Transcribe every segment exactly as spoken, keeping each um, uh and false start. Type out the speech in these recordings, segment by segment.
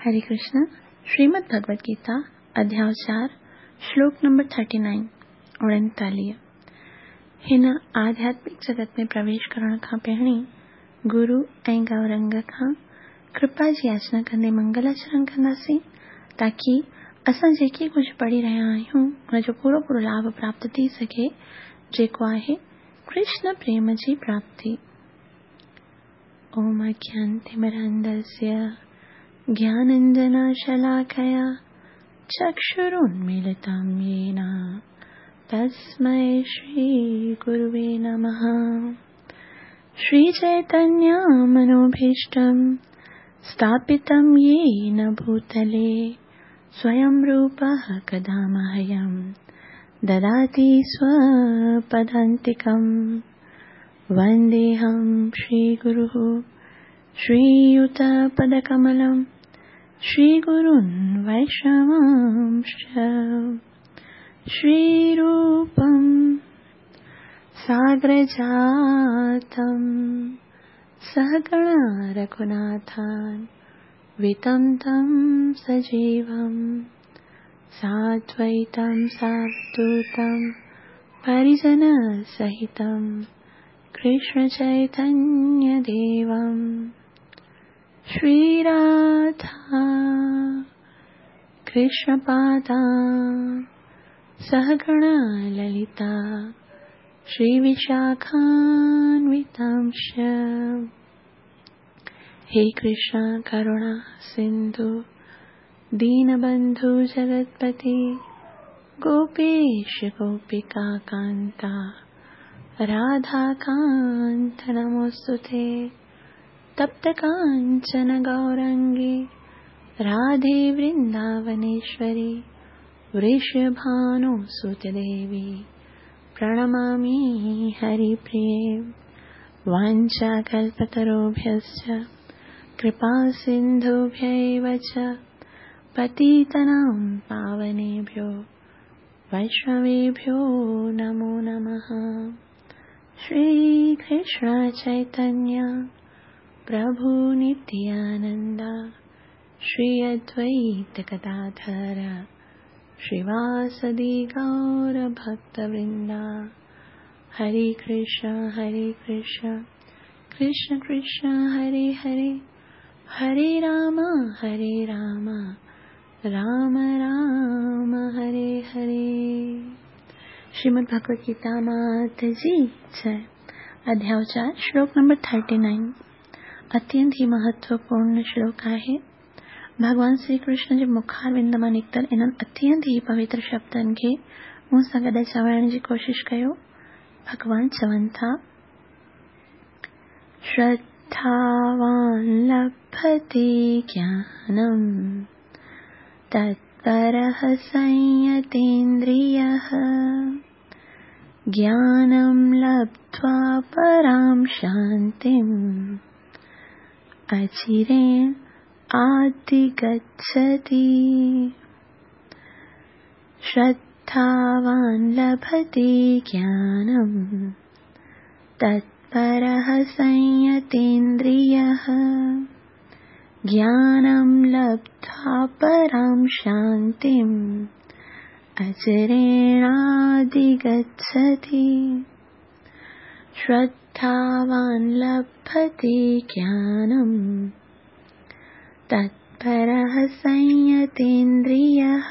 हरे कृष्ण। श्रीमद् भगवद गीता अध्याय चार श्लोक नंबर थर्टी नाइन उणेतालीह। हिन आध्यात्मिक जगत में प्रवेश करण खां पहिरीं गुरु ऐं गौरंग खां कृपा जी याचना कंदे मंगलाचरण कंदासीं, ताकी असां जेके कुझु पढ़ी रहिया आहियूं उनजो पूरो पूरो लाभ प्राप्त थी सघे, जेको आहे कृष्ण प्रेम जी प्राप्ति। ओम अज्ञानतिमिरान्धस्य ज्ञानाञ्जनशलाकया चक्षुरुन्मीलितं येन तस्मै श्रीगुरुवे नमः। श्रीचैतन्यमनोभीष्टं स्थापितं येन भूतले स्वयं रूपः कदा मह्यं ददाति स्वपदान्तिकं। वन्देऽहं श्रीगुरुः श्रीयुतपदकमलं श्रीगुरुन् वैष्णवांश्च। श्रीरूपं सागरजातं सहगणा रघुनाथान् वितं तं सजीवं साद्वैतं सावधूतं परिजनसहितं कृष्णचैतन्यदेवं। श्रीराधा कृष्णपादा सहगणा ललिता श्रीविशाखान्वितांश्च। हे कृष्ण करुणा सिंधु दीनबंधु जगत्पति गोपेश गोपिका कांता राधाकांत नमोस्तुते। तप्त कांचन गौरंगी राधे वृंदावनेश्वरी वृषभानुसुते देवी प्रणमामि हरिप्रिये। वाञ्छाकल्पतरुभ्यश्च कृपा सिन्धुभ्यैव च पतितानां पावनेभ्यो वैष्णवेभ्यो नमो नमः। श्री कृष्ण चैतन्य प्रभु नित्यानंद श्री अद्वैत गदाधर श्रीवासदि गौर भक्तवृंदा। हरे कृष्ण हरे कृष्ण कृष्ण कृष्ण हरे हरे, हरे राम हरे राम राम राम हरे हरे। श्रीमद् भगवद गीता मात जी जय। अध्याय चार श्लोक नंबर थर्टी नाइन अत्यंत ही महत्वपूर्ण श्लोक आहे। भॻवान श्री कृष्ण जे मुखारविंद मां निकितल इन्हनि अत्यंत ही पवित्र शब्दनि खे मूं सां गॾु चवण जी कोशिश कयो। भॻवान चवनि था, श्रद्धावान् लभते ज्ञानम् तत्परः संयतेन्द्रियः ज्ञानं लब्ध्वा परां शान्तिम् अचिरेण आधिगच्छति। श्रद्धावान् लभते ज्ञानं तत्परः संयतेन्द्रियः ज्ञानं लब्ध्वा परां शान्तिम् अचिरेणाधिगच्छति। श्रद्धावान् लभते ज्ञानं तत्परः संयतेन्द्रियः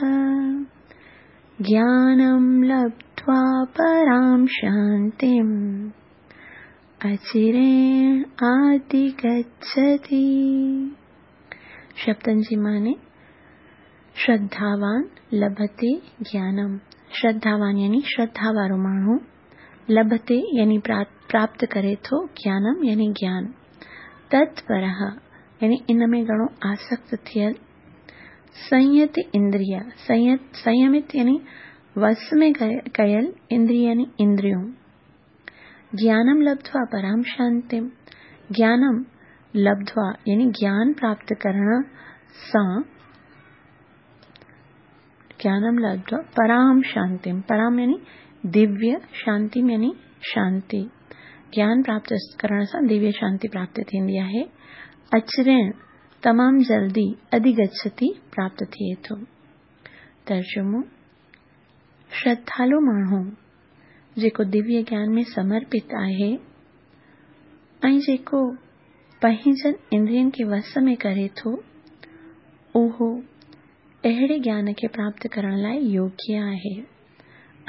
ज्ञानं लब्ध्वा परां शान्तिम् अचिरेण आधिगच्छति। शब्दनि जी माने श्रद्धावान लभते ज्ञानम। श्रद्धावान यानी श्रद्धा वारो माण्हू, लभते यानी प्राप्त करे थो, ज्ञानम यानी ज्ञान, तत्परः यानी इन में घणो आसक्त थियल, संयत इंद्रिय संयत संयमित यानी वश में कयल, इंद्रिय यानी इंद्रियों, ज्ञानम लब्ध्वा पराम शांतिम, ज्ञानम लब्ध्वा यानी ज्ञान प्राप्त करण सां, ज्ञानम लब्ध्वा पराम शांतिम, पराम यानी दिव्य, शांतिम यानी शांति, ज्ञान प्राप्त करण सां दिव्य शांति प्राप्त थींदी आहे। अचिरेण तमामु जल्दी अधिगच्छति प्राप्त थिए थो। तर्जुमो: श्रद्धालु माण्हू जेको दिव्य ज्ञान में समर्पित आहे ऐं जेको पंहिंजनि इंद्रियनि खे वस में करे थो, उहो अहिड़े ज्ञान खे प्राप्त करण लाइ योग्य आहे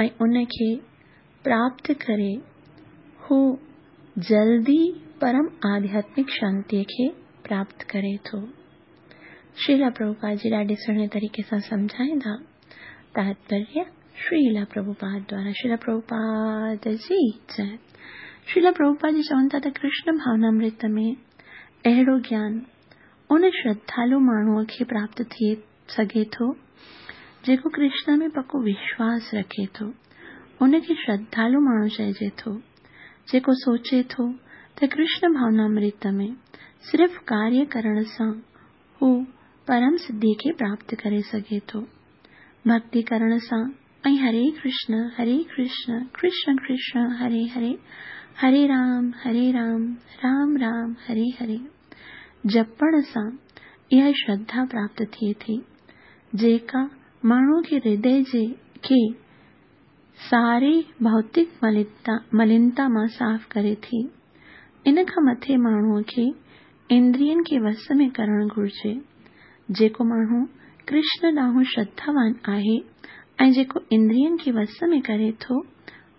ऐं उन खे प्राप्त करे हू जल्दी परम आध्यात्मिक शांतीअ खे प्राप्त करे थो। श्रीला प्रभुपाद जी ॾाढे सुहिणे तरीक़े सां सम्झाईंदा। तात्पर्य श्रीला प्रभुपाद द्वारा। श्रीला प्रभुपाद जी जय। श्रीला प्रभुपाद जी चवनि था त कृष्ण भावनामृत में अहिड़ो ज्ञान उन श्रद्धालु माण्हूअ खे प्राप्त थी सघे थो जेको कृष्ण में पको विश्वास रखे थो। उनखे श्रद्धालु माण्हू चइजे थो जेको सोचे थो त कृष्ण भावनामृत में सिर्फ़ कार्य करण सां हू परम सिद्धि खे प्राप्त करे सघे थो। भक्ति करण सां ऐं हरे कृष्ण हरे कृष्ण कृष्ण कृष्ण हरे हरे हरे राम हरे राम राम राम हरे हरे जपण सां इहा श्रद्धा प्राप्त थिए थी जेका माण्हूअ खे हृदय जे खे सारे भौतिक मलिनता मलिनता मां साफ़ करे थी। इन खां मथे माण्हूअ खे इंद्रियनि खे वस में करणु घुरिजे। जेको माण्हू कृष्ण ॾांहुं श्रद्धावान आहे ऐं जेको इंद्रियनि खे वस में करे थो,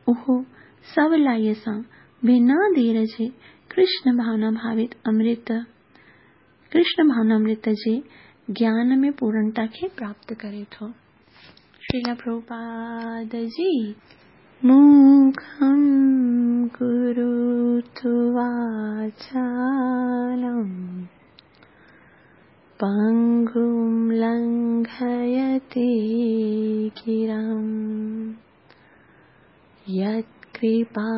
उहो सवलाईअ सां बिना देर जे कृष्ण भावना भावित अमृत कृष्ण भावनामृत जे ज्ञान में पूर्णता खे प्राप्त करे थो। श्रीला प्रभुपाद जी। मूकं करोतु वाचालं पंगुं लंघयते गिरिं यत्कृपातमहं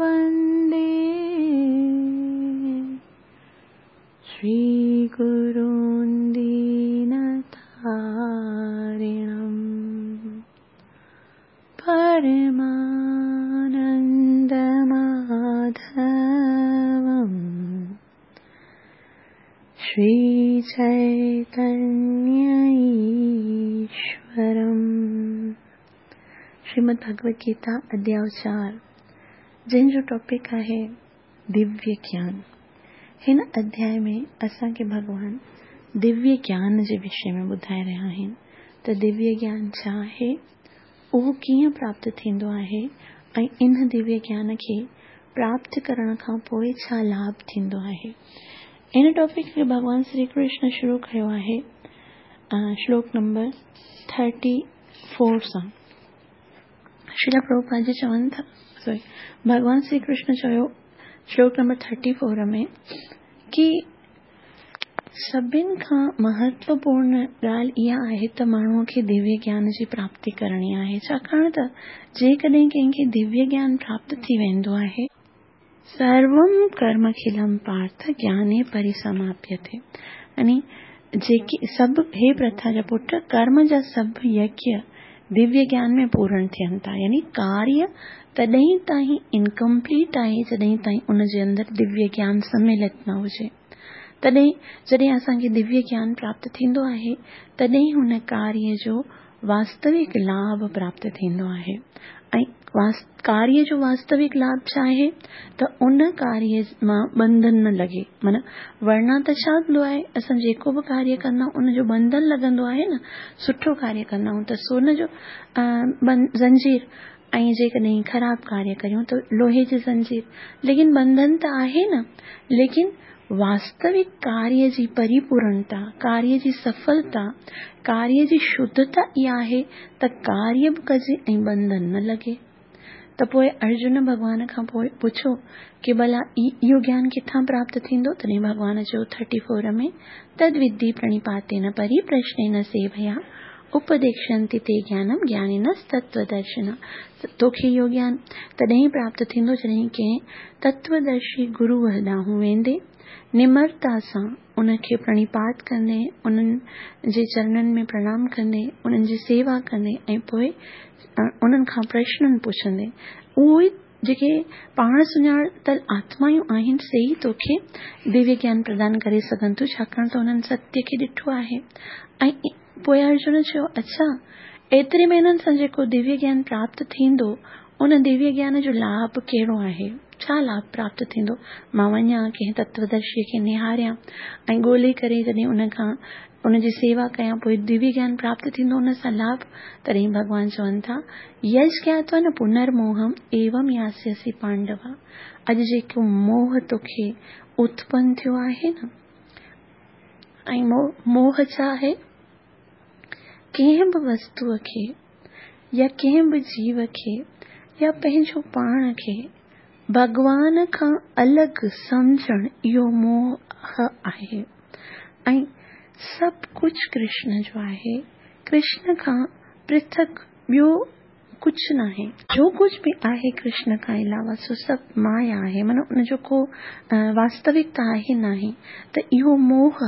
वन्दे श्रीगुरुं दीनतारिणं परमानन्दमाधवं श्रीचैतन्य ईश्वरम्। श्रीमद् भगवद गीता अध्याय चारि, जंहिंजो टॉपिक आहे दिव्य ज्ञान। हिन अध्याय में असांखे भॻवान दिव्य ज्ञान जे विषय में ॿुधाए रहिया आहिनि त दिव्य ज्ञान छा आहे, उहो कीअं प्राप्त थींदो आहे ऐं इन दिव्य ज्ञान खे प्राप्त करण खां पोइ छा लाभ थींदो आहे। इन टॉपिक खे भॻवान श्री कृष्ण शुरू कयो आहे श्लोक नंबर थर्टी फोर सां। श्रीला प्रभुपाद जी चवनि था, सॉरी, भॻवान श्री कृष्ण चयो श्लोक नंबर थर्टी फोर में कि सभिनि खां महत्वपूर्ण ॻाल्हि इहा आहे त माण्हूअ खे दिव्य ज्ञान जी प्राप्ति करणी आहे, छाकाणि त जेकॾहिं कंहिंखे दिव्य ज्ञान प्राप्त थी वेंदो आहे, सर्वं कर्मखिलं पार्थ ज्ञाने परिसमाप्यते, यानी जेके सभु हे प्रथा जा पुट, कर्म जा सभु यज्ञ दिव्य ज्ञान में पूर्ण थियनि था। यानी कार्य तॾहिं ताईं इनकम्प्लीट आहे जॾहिं ताईं उन जे अंदरि दिव्य ज्ञान सम्मिलित न हुजे। तॾहिं जॾहिं असांखे दिव्य ज्ञान प्राप्त थींदो आहे तॾहिं हुन कार्य जो वास्तविक लाभ प्राप्त थींदो आहे। ऐं कार्य जो वास्तविक लाभ छा आहे त उन कार्य मां बंधन न लॻे। माना वरना त छा थींदो आहे, असां जेको बि कार्य कंदा आहियूं उनजो बंधन लॻंदो आहे न। सुठो कार्य कंदा आहियूं त सोन जो ज़ंजीर, ऐं जेकॾहिं ख़राबु कार्य करियूं त लोहे जी ज़ंजीर, लेकिन बंधन त आहे न। लेकिन वास्तविक कार्य जी परिपूर्णता, कार्य जी सफलता, कार्य जी शुद्धता इहा आहे त कार्य बि कजे ऐं बंधन न लॻे। त पोइ अर्जुन भॻवान खां पोइ पुछो कि भला इहो ज्ञान किथां प्राप्त थींदो? तॾहिं भॻवान चयो थर्टी फोर में, तद्विद्धि प्रणिपातेन परिप्रश्नेन सेवया उपदेक्ष्यन्ति ते ज्ञानम ज्ञानिनस्तत्त्वदर्शिनः। तोखे इहो ज्ञान तॾहिं प्राप्त थींदो जॾहिं कंहिं तत्वदर्शी गुरूअ ॾांहुं वेंदे, निमरता सां उनखे प्रणिपात कंदे, उन्हनि जे चरणनि में प्रणाम कंदे, उन्हनि जी सेवा कंदे ऐं पोइ उन्हनि खां प्रश्ननि पुछंदे, उहो ई जेके पाण सुञातल आत्मायूं आहिनि से ई तोखे दिव्य ज्ञान प्रदान करे सघनि थियूं, छाकाणि त हुननि सत्य खे ॾिठो आहे। ऐं पोइ अर्जुन चयो, अच्छा, एतिरे महीननि सां जेको दिव्य ज्ञान प्राप्त थींदो उन दिव्य ज्ञान जो लाभ कहिड़ो आहे, छा लाभ प्राप्त थींदो? मां वञा कंहिं तत्वदर्शीअ खे निहारियां ऐं ॻोल्हे करे जॾहिं उन खां उनजी सेवा कयां पोइ दिव्य ज्ञान प्राप्त थींदो उन सां लाभ? तॾहिं भॻवान चवनि था, यश ज्ञात्वा न पुनर्मोहम एवं यास्यसि पांडवा। अॼु जेको मोह तोखे उत्पन्न थियो आहे न, ऐं मोह छा आहे? कंहिं बि वस्तूअ खे या कंहिं बि जीव खे या पंहिंजो पाण खे भॻवान खां अलॻि सम्झणु इहो मोह आहे। ऐं सभु कुझु कृष्ण जो आहे, कृष्ण खां पृथक ॿियो कुझु न आहे। जो कुझु बि आहे कृष्ण खां अलावा सो सभु माया आहे, माना उनजो को वास्तविकता आहे न आहे। त इहो मोह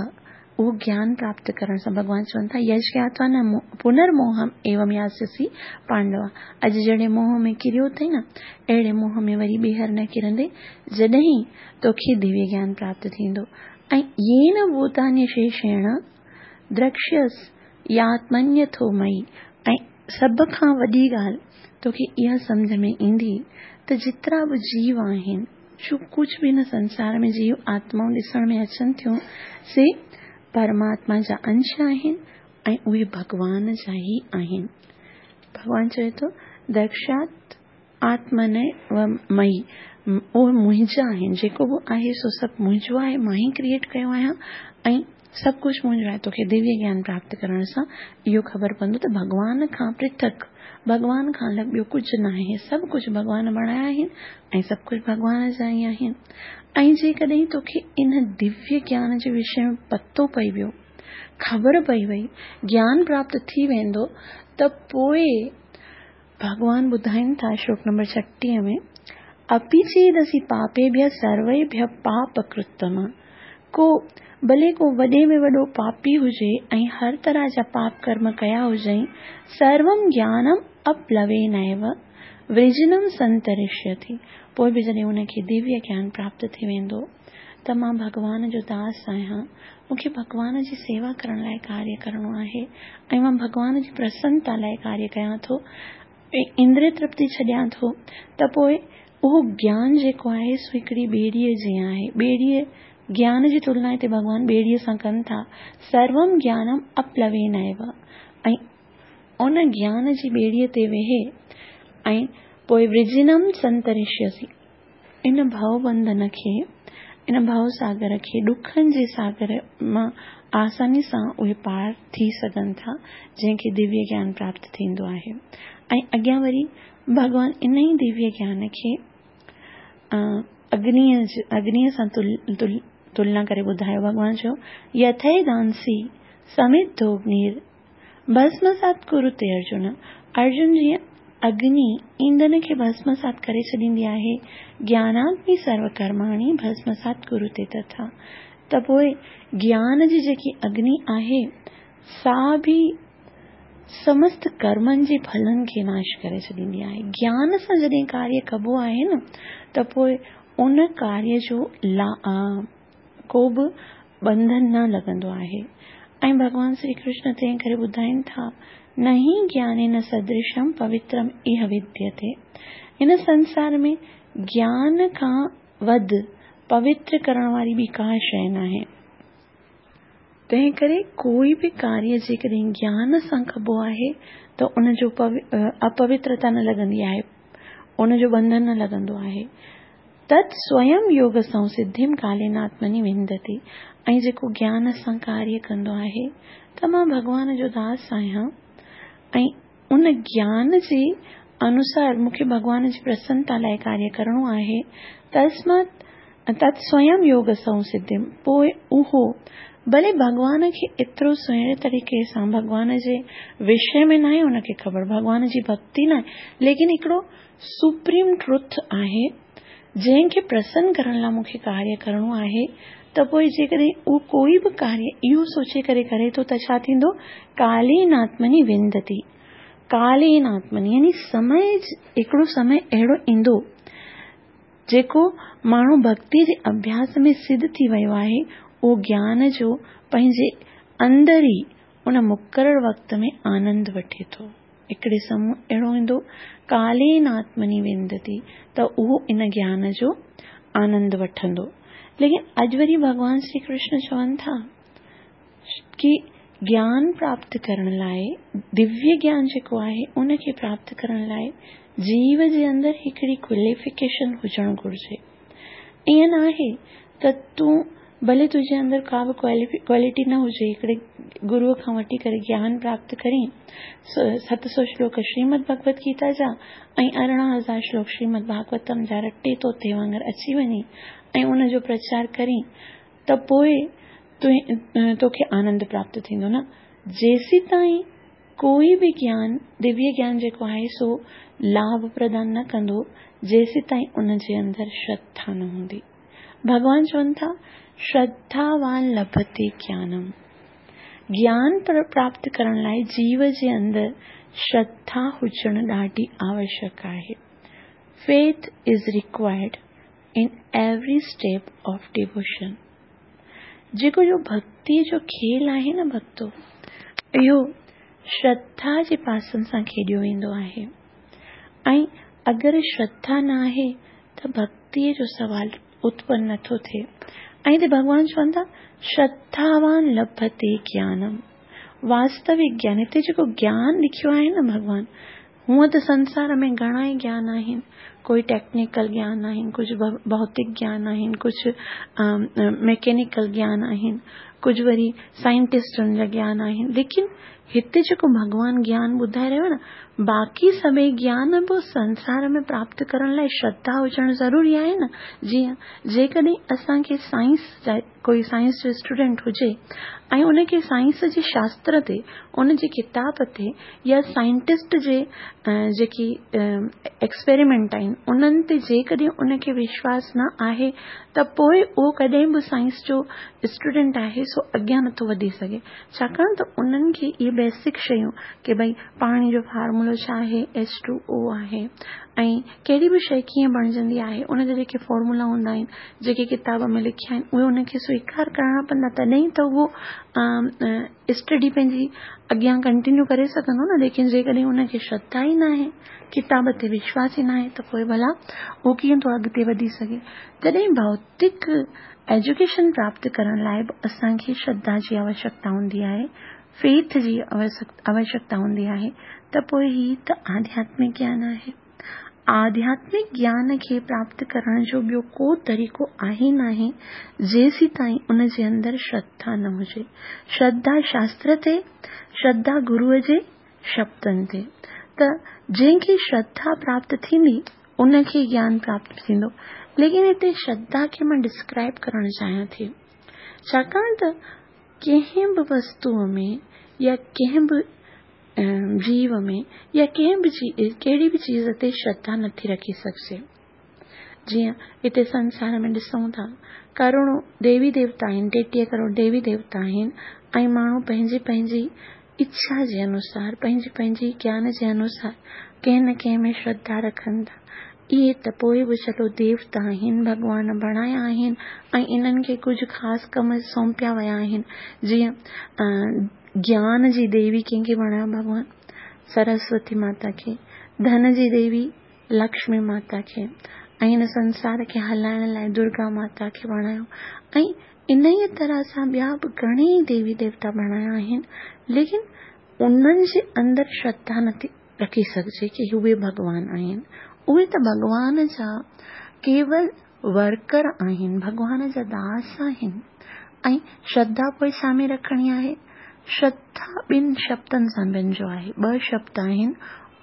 उहो ज्ञान प्राप्त करण सां भॻवान चवनि था, यश ज्ञात्वा न पुनर्मोहम एवं यास्यसि पांडवा। अॼु जहिड़े मोह में किरियो अथई न, अहिड़े मोह में वरी ॿीहर न किरंदे जॾहिं तोखे दिव्य ज्ञान प्राप्त थींदो। ऐं येन भूतान्यशेषेण द्रक्ष्यसि यात्मन्यथो मयि। ऐं सभ खां वॾी ॻाल्हि तोखे इहा सम्झ में ईंदी त जेतिरा बि जीव आहिनि, जो कुझु बि हिन संसार में जीव आत्माऊं ॾिसण में अचनि थियूं, से परमात्मा जा अंश आहिनि ऐं उहे भॻवान जा ई आहिनि। भॻवान चवे थो, दक्षात आत्मन व मयि, उहे मुंहिंजा आहिनि, जेको बि आहे सो सभु मुंहिंजो आहे, मां ई क्रिएट कयो आहियां ऐं सभु कुझु मुंहिंजो आहे। तोखे दिव्य ज्ञान प्राप्त करण सां इहो ख़बर पवंदो त भॻवान खां पृथक, भॻवान खां अलॻि ॿियो कुझु न आहे। सभु कुझु भॻवान बणाया आहिनि ऐं सभु कुझु भॻवान जा ई आहिनि। ऐं जेकॾहिं तोखे इन दिव्य ज्ञान जे विषय में पतो पई वियो, ख़बर पई वई, ज्ञान प्राप्त थी वेंदो, त पोइ भॻवान ॿुधाइनि था श्लोक नंबर छटीह में, अपि चेदसि पापेभ्यः सर्वेभ्यः पापकृत्तम। को भले को वॾे में वॾो पापी हुजे ऐं हर तरह जा पाप कर्म कया हुजई, सर्वं ज्ञानम अप्लवेनैव वृजिनम संतरिष्यति। पोइ बि जॾहिं उनखे दिव्य ज्ञान प्राप्त थी वेंदो त मां भॻवान जो दास आहियां, मूंखे भॻवान जी सेवा करण लाइ कार्य करिणो आहे ऐं मां भॻवान जी प्रसन्नता लाइ कार्य कयां थो, इंद्रिय तृप्ति छॾियां थो, त पोइ उहो ज्ञान जेको आहे सो हिकिड़ी ॿेड़ीअ जीअं आहे। ॿेड़ीअ ज्ञान जी तुलना हिते भॻवान ॿेड़ीअ सां कनि था। सर्वं ज्ञानम अप्लवेनैव, ऐं उन ज्ञान जी ॿेड़ीअ ते वेहे ऐं पोइ वृजिनम संतरिष्यसि, इन भव बंधन खे, इन भव सागर खे, ॾुखनि जे सागर मां आसानी सां उहे पार थी सघनि था जंहिंखे दिव्य ज्ञान प्राप्त थींदो आहे। ऐं अॻियां वरी भॻवान इन ई दिव्य ज्ञान खे अग्निअ अग्निअ सां तुल, तुल, तुलना करे ॿुधायो। भॻवान चयो, यथैदांसि समिद्धोऽग्निर् भस्मसात् कुरुते अर्जुन। अर्जुन जीअं अग्नि ईंधन खे भस्मसात करे छॾींदी आहे, ज्ञानाग्नि सर्वकर्माणि भस्मसात् कुरुते तथा। त पोइ ज्ञान जी जेकी अग्नि आहे सा बि समस्त कर्मनि जे फलनि खे नाश करे छॾींदी आहे। ज्ञान सां जॾहिं कार्य कबो आहे न, त पोइ उन कार्य जो ला को बि बंधन न लॻंदो आहे। ऐं भॻवान श्री कृष्ण तंहिं करे ॿुधाइनि था, नहि ज्ञानेन सदृशम पवित्रम इह विद्यते। हिन संसार में ज्ञान खां वधि पवित्र करण वारी ॿी का शइ न आहे। तंहिं करे कोई बि कार्य जेकॾहिं ज्ञान सां कबो आहे त उनजो अपवित्रता न लॻंदी आहे, उनजो बंधन न लॻंदो आहे। तत् स्वयं योग संसिद्धिम कालेनात्मनि विन्दति। ऐं जेको ज्ञान सां कार्य कंदो आहे त मां भॻवान जो दास आहियां ऐं उन ज्ञान जे अनुसार मूंखे भॻवान जी प्रसन्नता लाइ कार्य करिणो आहे। तस्मात् तत् स्वयं योग संसिद्धिम, पोइ उहो भले भॻवान खे एतिरो सुहिणे तरीक़े सां भॻवान जे विषय में न आहे उनखे ख़बर, भॻवान जी भक्ति न आहे, लेकिन हिकिड़ो सुप्रीम ट्रुथ आहे जंहिंखे प्रसन्न करण लाइ मूंखे कार्य करिणो आहे। त पोइ जेकॾहिं उहो कोई बि कार्य इहो सोचे करे करे थो त छा थींदो? कालेनात्मनि विन्दति। कालेनात्मनि यानी समय, हिकिड़ो समय अहिड़ो ईंदो جيڪو ماڻهو ڀڳتي جي اڀياس ۾ سڌ ٿي ويو آهي، اهو گيان جو پنهنجي اندر ئي ان مقرر وقت ۾ آنند وٺي ٿو. هڪڙي سمي اهڙو ايندو، ڪالين آتمني وندتي، ته اهو ان گيان جو آنند وٺندو. ليڪن اڄ وري ڀڳوان شري ڪرشن چون ٿا ڪي گيان پراپت ڪرڻ لاءِ، دويه گيان جيڪو آهي ان کي پراپت ڪرڻ لاءِ جيو جي اندر هڪڙي ڪواليفڪيشن هجڻ گهرجي. ائين نه آهي ته تون ڀلي تنهنجي اندر ڪا به ڪوالٽي نه هجي، هڪڙي گروءَ کان وٺي ڪري گيان پراپت ڪرين، ست سؤ شلوڪ شريمد ڀڳوت گيتا جا ۽ ارڙهن هزار شلوڪ شريمد ڀاڳوتم جا رٽي طوطي وانگر اچي وڃي ۽ ان جو پرچار ڪرين ته پوءِ توکي آنند پراپت ٿيندو. نه، جيسين تائين ڪوئي به گيان، دويه گيان جيڪو آهي سو لاڀ پردان نه ڪندو، جيسين تائين ان جي اندر شرڌا نه هوندي. ڀڳوان چون ٿا شرڌاوان لڀتي گيانم. گيان پراپت ڪرڻ لاءِ جيو جي اندر شرڌا هجڻ ڏاڍي آوشيڪ آهي. Faith is required in every step of devotion. جيڪو جو ڀڳتيءَ جو کيل آهي نه ڀڳتو، اهو شرڌا جي پاسن سان کيڏيو ويندو آهي. ۽ اگر شرڌا نه آهي ته ڀڳتيءَ جو سوال اتپن نٿو ٿئي. ۽ هتي ڀڳوان چون ٿا شرڌاوان لڀتي گيانم. واستوڪ گيان، هتي جيڪو گيان لکيو آهي نه ڀڳوان، هونئن ته سنسار ۾ گهڻا ئي گيان آهن، ڪوئي ٽيڪنيڪل گيان آهن، ڪجهه ڀوتڪ گيان آهن، ڪجهه ميڪينيڪل گيان آهن، ڪجهه وري سائنٽسٽن جا گيان آهن، ليڪن هتي جيڪو ڀڳوان گيان ٻڌائي رهيو آهي نه، باقي سڀئي گيان به سنسار ۾ پراپت ڪرڻ لاءِ شرڌا هجڻ ضروري آهي نه. جيئن جيڪڏهن اسان کي سائنس جا ڪوئي سائنس جو اسٽوڊنٽ هجي ۽ ان کي سائنس جي شاستر تي، ان جي ڪتاب تي يا سائنٽسٽ جي جيڪي ايڪسپيريمينٽ آهن انهن تي جيڪڏهن ان کي وشواس نه آهي ته پوءِ اهو ڪڏهن به سائنس جو اسٽوڊنٽ آهي سو اڳيان نٿو وڌي سگهي. ڇاڪاڻ ته انهن کي اهي بيسڪ شيون ڪي ڀئي پاڻي جو فارمولو ڇا آهي، ايڇ ٽو او آهي، ۽ ڪهڙي به شيءِ ڪيئن بڻجندي آهي، ان جا جيڪي فارمولا هوندا آهن، جيڪي ڪتاب ۾ لکيا آهن، اهي ان کي سويڪار ڪرڻا پوندا، تڏهن ته اهو اسٽڊي پنهنجي اڳيان ڪنٽينيو ڪري سگهندو نه. ليڪن جيڪڏهن ان کي شرڌا ئي نه آهي، ڪتاب تي وشواس ئي نه آهي، ته پوءِ ڀلا اهو ڪيئن ٿو اڳتي وڌي سگهي. تڏهن ڀوتڪ ايجوڪيشن پراپت ڪرڻ لاءِ به اسان کي شرڌا جي آوشيڪتا هوندي آهي، فيٿ جي آوشيڪتا هوندي آهي، ته پوءِ هي ته آڌياتمڪ گيان آهي. آڌياتمڪ گيان کي پراپت ڪرڻ جو ٻيو ڪو طريقو آهي ناهي جيسين تائين ان جي اندر شرڌا نه هجي. شرڌا شاستر تي، شرڌا گروءَ جي شبدن تي. ته جنهن کي شرڌا پراپت ٿيندي ان کي گيان پراپت ٿيندو. ليڪن هتي شرڌا کي مان ڊسڪرائب ڪرڻ چاهيان ٿي، ڇاڪاڻ ته ڪنهن به وستوءَ ۾ يا ڪنهن به جيو ۾ يا ڪنهن به ڪهڙي به چيز تي شرڌا نٿي رکي سگهجي. جيئن هتي سنسار ۾ ڏسون ٿا ڪروڙون ديوي ديوتا آهن، ٽيٽيهه ڪروڙ ديوي ديوتا آهن، ۽ ماڻهو پنهنجي پنهنجي اڇا جي انوسار، پنهنجي پنهنجي گيان جي انوسار ڪنهن نه ڪنهن ۾ شرڌا رکن ٿا. اهي ته پوءِ به چلو ديوتا آهن، ڀڳوان بڻايا آهن ۽ انهن کي ڪجهه خاص ڪم سونپيا ويا آهن. جيئن گيان جي ديوي ڪنهن کي بڻايو ڀڳوان؟ سرسوتي ماتا کي. ڌن جي ديوي لڪشمي ماتا کي، ۽ هن سنسار کي هلائڻ لاءِ درگا ماتا کي بڻايو. ۽ ان ئي طرح سان ٻيا به گهڻيئي ديوي ديوتا بڻايا آهن، ليڪن انهن جي اندر شرڌا نٿي رکي سگهجي ڪه اهي ڀڳوان آهن. اهي ته ڀڳوان جا ڪيول ورڪر آهن، ڀڳوان جا داس آهن. ۽ شرڌا پوءِ ڇا ۾ رکڻي آهي؟ شرڌا ٻن شبدن سان بڻجو آهي، ٻه شبد آهن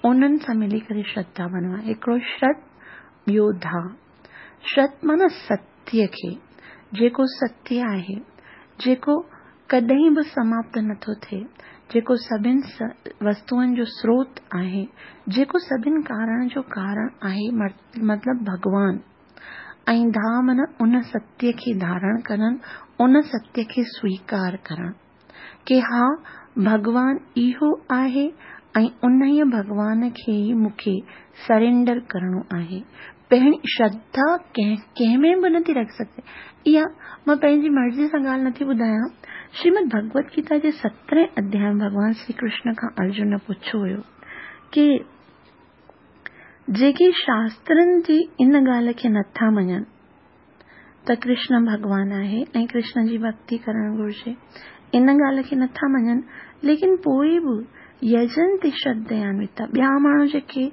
انهن سان ملي ڪري شرڌا بڻيو آهي. هڪڙو شرڌ، ٻيو ڌا. شرڌ معنيٰ ستيه کي، جيڪو ستيه آهي، جيڪو ڪڏهن به سماپت نٿو ٿئي، جيڪو سڀني وستوئن جو سروت آهي، جيڪو سڀني ڪارڻ جو ڪارڻ آهي، مطلب ڀڳوان. ۽ ڌا معنيٰ ان ستيه کي ڌارڻ ڪرڻ، ان ستيه کي سويڪار ڪرڻ ڪه ها ڀڳوان اهو آهي ۽ ان ئي ڀڳوان کي ئي مون کي سرينڊر ڪرڻو آهي، पहिरीं श्रद्धा कंहिं कंहिं में बि नथी रखी सघिजे। इहा मां पंहिंजी मर्ज़ी सां ॻाल्हि नथी ॿुधायां। श्रीमद भगवत गीता जे सतरहें अध्याय में भॻवान श्री कृष्ण खां अर्जुन पुछियो हुयो की जेके शास्त्रनि जी इन ॻाल्हि खे नथा मञनि त कृष्ण भॻवान आहे ऐं कृष्ण जी भक्ति करणु घुरिजे, इन ॻाल्हि खे नथा मञनि, लेकिन पोइ बि यजंति श्रद्धयान्विता, ॿिया माण्हू जेके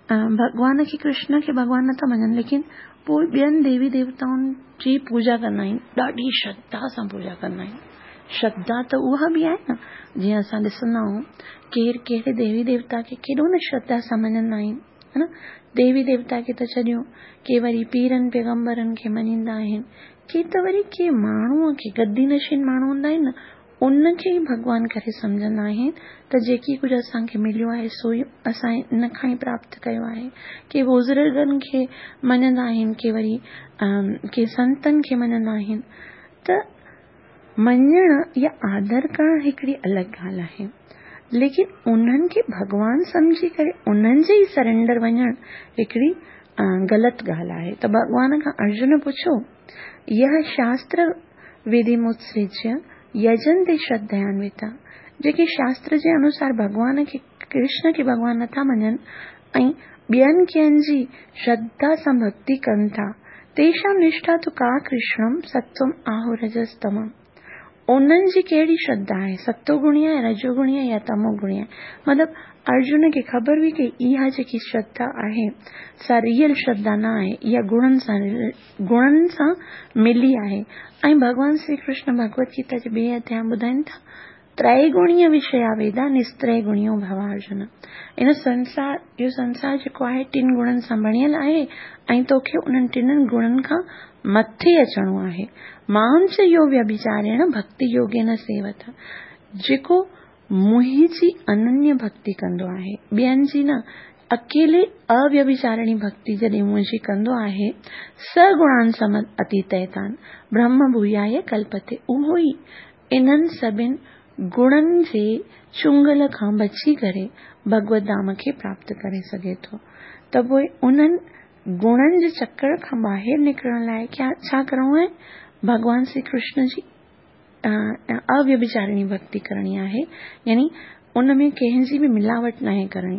भॻवान खे कृष्ण खे भॻवान नथा मञनि, लेकिन पोइ ॿियनि देवी देवताउनि जी पूजा कंदा आहिनि, ॾाढी श्रद्धा सां पूजा कंदा आहिनि। श्रद्धा त उहा बि आहे न, जीअं असां ॾिसंदा आहियूं केरु कहिड़े देवी देवता खे केॾो न श्रद्धा सां मञंदा आहिनि, है न। देवी देवता खे त छॾियो, के वरी पीरनि पैगम्बरनि खे मञींदा आहिनि, के त वरी के माण्हूअ खे, गद्दी नशीन माण्हू हूंदा आहिनि न, उनखे ई भॻवान करे सम्झंदा आहिनि त जेकी कुझु असांखे मिलियो आहे सो ई असां इन खां ई प्राप्त कयो आहे। के बुज़ुर्गनि खे मञंदा आहिनि, के वरी के संतनि खे मञंदा आहिनि। त मञणु या आदर करणु हिकिड़ी अलॻि ॻाल्हि आहे, लेकिन उन्हनि खे भॻवान सम्झी करे उन्हनि जे ई सरेंडर वञणु हिकिड़ी ग़लति ॻाल्हि आहे। त भॻवान खां अर्जुन पुछियो, यह शास्त्र विधिमुत्सृज्य यजंति श्रद्धयान्विता, जेके शास्त्र जे अनुसार भॻवान खे कृष्ण खे भॻवान नथा मञनि ऐं ॿियनि कंहिं जी श्रद्धा सां भक्ति कनि था, तेषां निष्ठा तु का कृष्णम सत्वम आहुरजस्तमम, उन्हनि जी कहिड़ी श्रद्धा आहे, सतोगुणी आहे, रजोगुणी आहे या तमोगुणी आहे। मतिलबु अर्जुन खे ख़बर हुई की इहा जेकी श्रद्धा आहे सा रियल श्रद्धा न आहे, इहा गुणनि सां गुणनि सां मिली आहे। ऐं भॻवान श्री कृष्ण भगवत गीता जे ॿिए अध्याय में ॿुधाइनि था, त्रैगुणीय विषया वेदा निस्त्रैगुणियो भव अर्जुन। इन संसार, इहो संसार जेको आहे टिनि गुणनि सां बणियल आहे ऐं तोखे उन्हनि टिन्हनि गुणनि खां मथे अचिणो आहे। मां च यो व्यभिचारेण भक्ति योगेन सेवत, जेको मुंहिंजी अनन्य भक्ति कंदो आहे, ॿियनि जी न, अकेले अव्यभिचारिणी भक्ति जॾहिं मुंहिंजी कंदो आहे, स गुणान सम अतीतैतान ब्रह्म भूयाय कल्पते, उहो ई इन्हनि सभिनि गुणनि जे चुंगल खां बची करे भगवत धाम खे प्राप्त करे सघे थो। त पोइ उन्हनि गुणनि जे चक्कर खां ॿाहिरि निकिरण लाइ छा करिणो आहे? भॻवान श्री कृष्ण जी अव्यभिचारिणी भक्ति करणी आहे, यानी उन में कंहिंजी बि मिलावट नाहे करणी।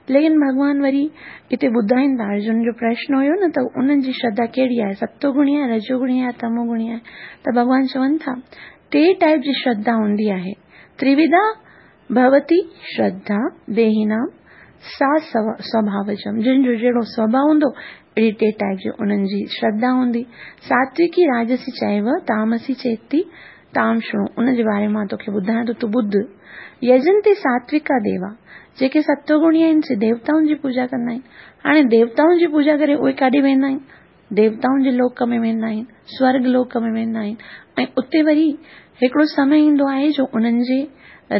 लेकिन भॻवान वरी हिते ॿुधाइनि था, अर्जुन जो प्रश्न हुयो न त उन्हनि जी श्रद्धा कहिड़ी आहे, सतोगुणी आहे, रजोगुणी आहे, तमोगुणी आहे। त भॻवान चवनि था टे टाइप जी श्रद्धा हूंदी आहे, त्रिविधा भवती श्रद्धा देहिनाम सा स्वभावजम, जिन जो जहिड़ो स्वभाव हूंदो अहिड़ी टे टाइप जी उन्हनि जी श्रद्धा हूंदी। सात्विकी राजसी चैव तामसी चेती ताम शृणु, उन जे बारे में मां तोखे ॿुधायां थो, तूं ॿुध। यजंते सात्विका देवा, जेके सतोगुणी आहिनि से देवताउनि जी पूजा कंदा आहिनि। हाणे देवताउनि जी पूजा करे उहे काॾे वेंदा आहिनि? देवताउनि जे लोक में वेंदा आहिनि, स्वर्ग लोक में वेंदा आहिनि। ऐं उते वरी हिकिड़ो समय ईंदो आहे जो उन्हनि जे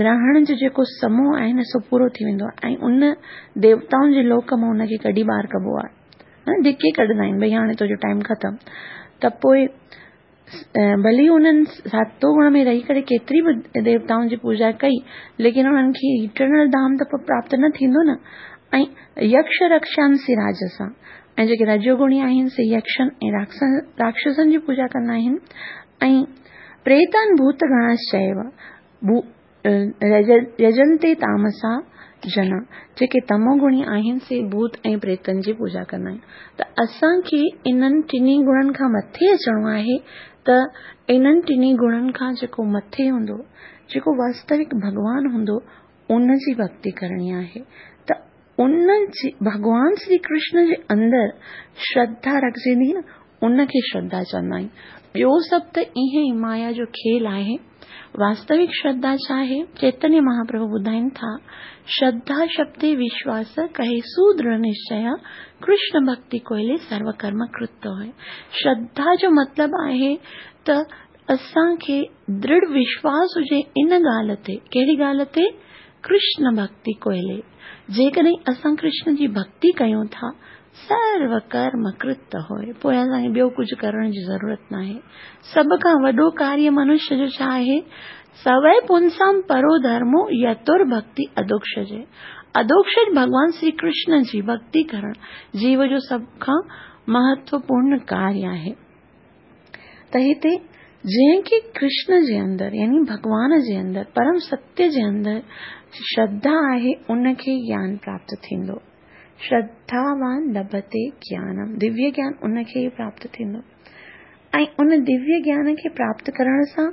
रहण जो जेको समूह आहे न सो पूरो थी वेंदो आहे ऐं उन देवताउनि जे लोक मां उनखे कढी ॿाहिरि कबो आहे, धिके कढंदा आहिनि, भई हाणे तुंहिंजो टाइम ख़तमु। त पोइ भली उन्हनि सतोगुण में रही करे केतिरी बि देवताउनि जी पूजा कई, लेकिन उन्हनि खे इटर्नल धाम त प्राप्त न थींदो न। ऐं यक्ष रक्षांसि राजसा, ऐं जेके रजोगुणी आहिनि से यक्षनि ऐं राक्षसनि जी पूजा कंदा आहिनि। ऐं प्रेतान भूतगणाश्चैव यजंते तामसा जना, जेके तमोगुणी आहिनि से भूत ऐं प्रेतनि जी पूजा कंदा आहिनि। त असांखे इन्हनि टिन्ही गुणनि खां मथे अचिणो आहे। त इन्हनि टिन्ही गुणनि खां जेको मथे हूंदो, जेको वास्तविक भॻवान हूंदो, उन जी भक्ति करणी आहे। त उन जी भॻवान श्री कृष्ण जे अंदरि श्रद्धा रखिजंदी न, उनखे श्रद्धा चवंदा आहिनि। ॿियो सभु त ईअं ई माया जो खेल आहे। वास्तविक श्रद्धा छा आहे? चैतन्य महाप्रभु ॿुधाइनि था, श्रद्धा शब्दे विश्वास कहे सुदृढ़ निश्चय, कृष्ण भक्ति कोइले सर्वकर्म कृत होए। श्रद्धा जो मतिलबु आहे त असांखे दृढ़ विश्वास हुजे इन ॻाल्हि ते। कहिड़ी ॻाल्हि ते? कृष्ण भक्ति कोइले। जेकॾहिं असां कृष्ण जी भक्ति कयूं था, सर्व कर्म कृत होए, पोइ असांखे ॿियो कुझु करण जी ज़रूरत न आहे। सभ खां वॾो कार्य मनुष्य जो छा आहे? सवै पुंसां परो धर्मो यतुर भक्ति अधोक्षजे। अधोक्षज भॻवान श्री कृष्ण जी भक्ति करण जीव जो सभ खां महत्वपूर्ण कार्य आहे। त हिते जंहिंखे कृष्ण जे अंदरि यानी भॻवान जे अंदरि परम सत्य जे अंदरि श्रद्धा आहे उनखे ज्ञान प्राप्त थींदो। श्रद्धावान लभते ज्ञानम, दिव्य ज्ञान उनखे ई प्राप्त थींदो। ऐं उन दिव्य ज्ञान खे प्राप्त करण सां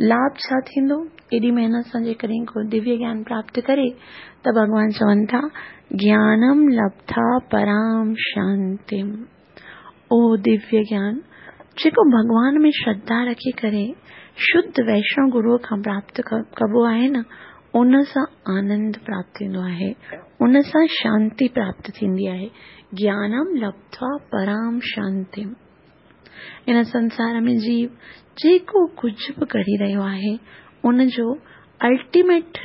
लाभ छा थींदो? एॾी महिनत सां जेकॾहिं को दिव्य ज्ञान प्राप्त करे त भॻवान चवनि था ज्ञानम लब्ध्वा पराम शांतिम। उहो दिव्य ज्ञान जेको भॻवान में श्रद्धा रखी करे शुद्ध वैष्णव गुरूअ खां प्राप्त कबो आहे न, उन सां आनंद प्राप्त थींदो आहे, उन सां शांति प्राप्त थींदी आहे। ज्ञानम लब्ध्वा पराम शांतिम। इन संसार में जीव जेको कुझु बि करी रहियो आहे उनजो अल्टीमेट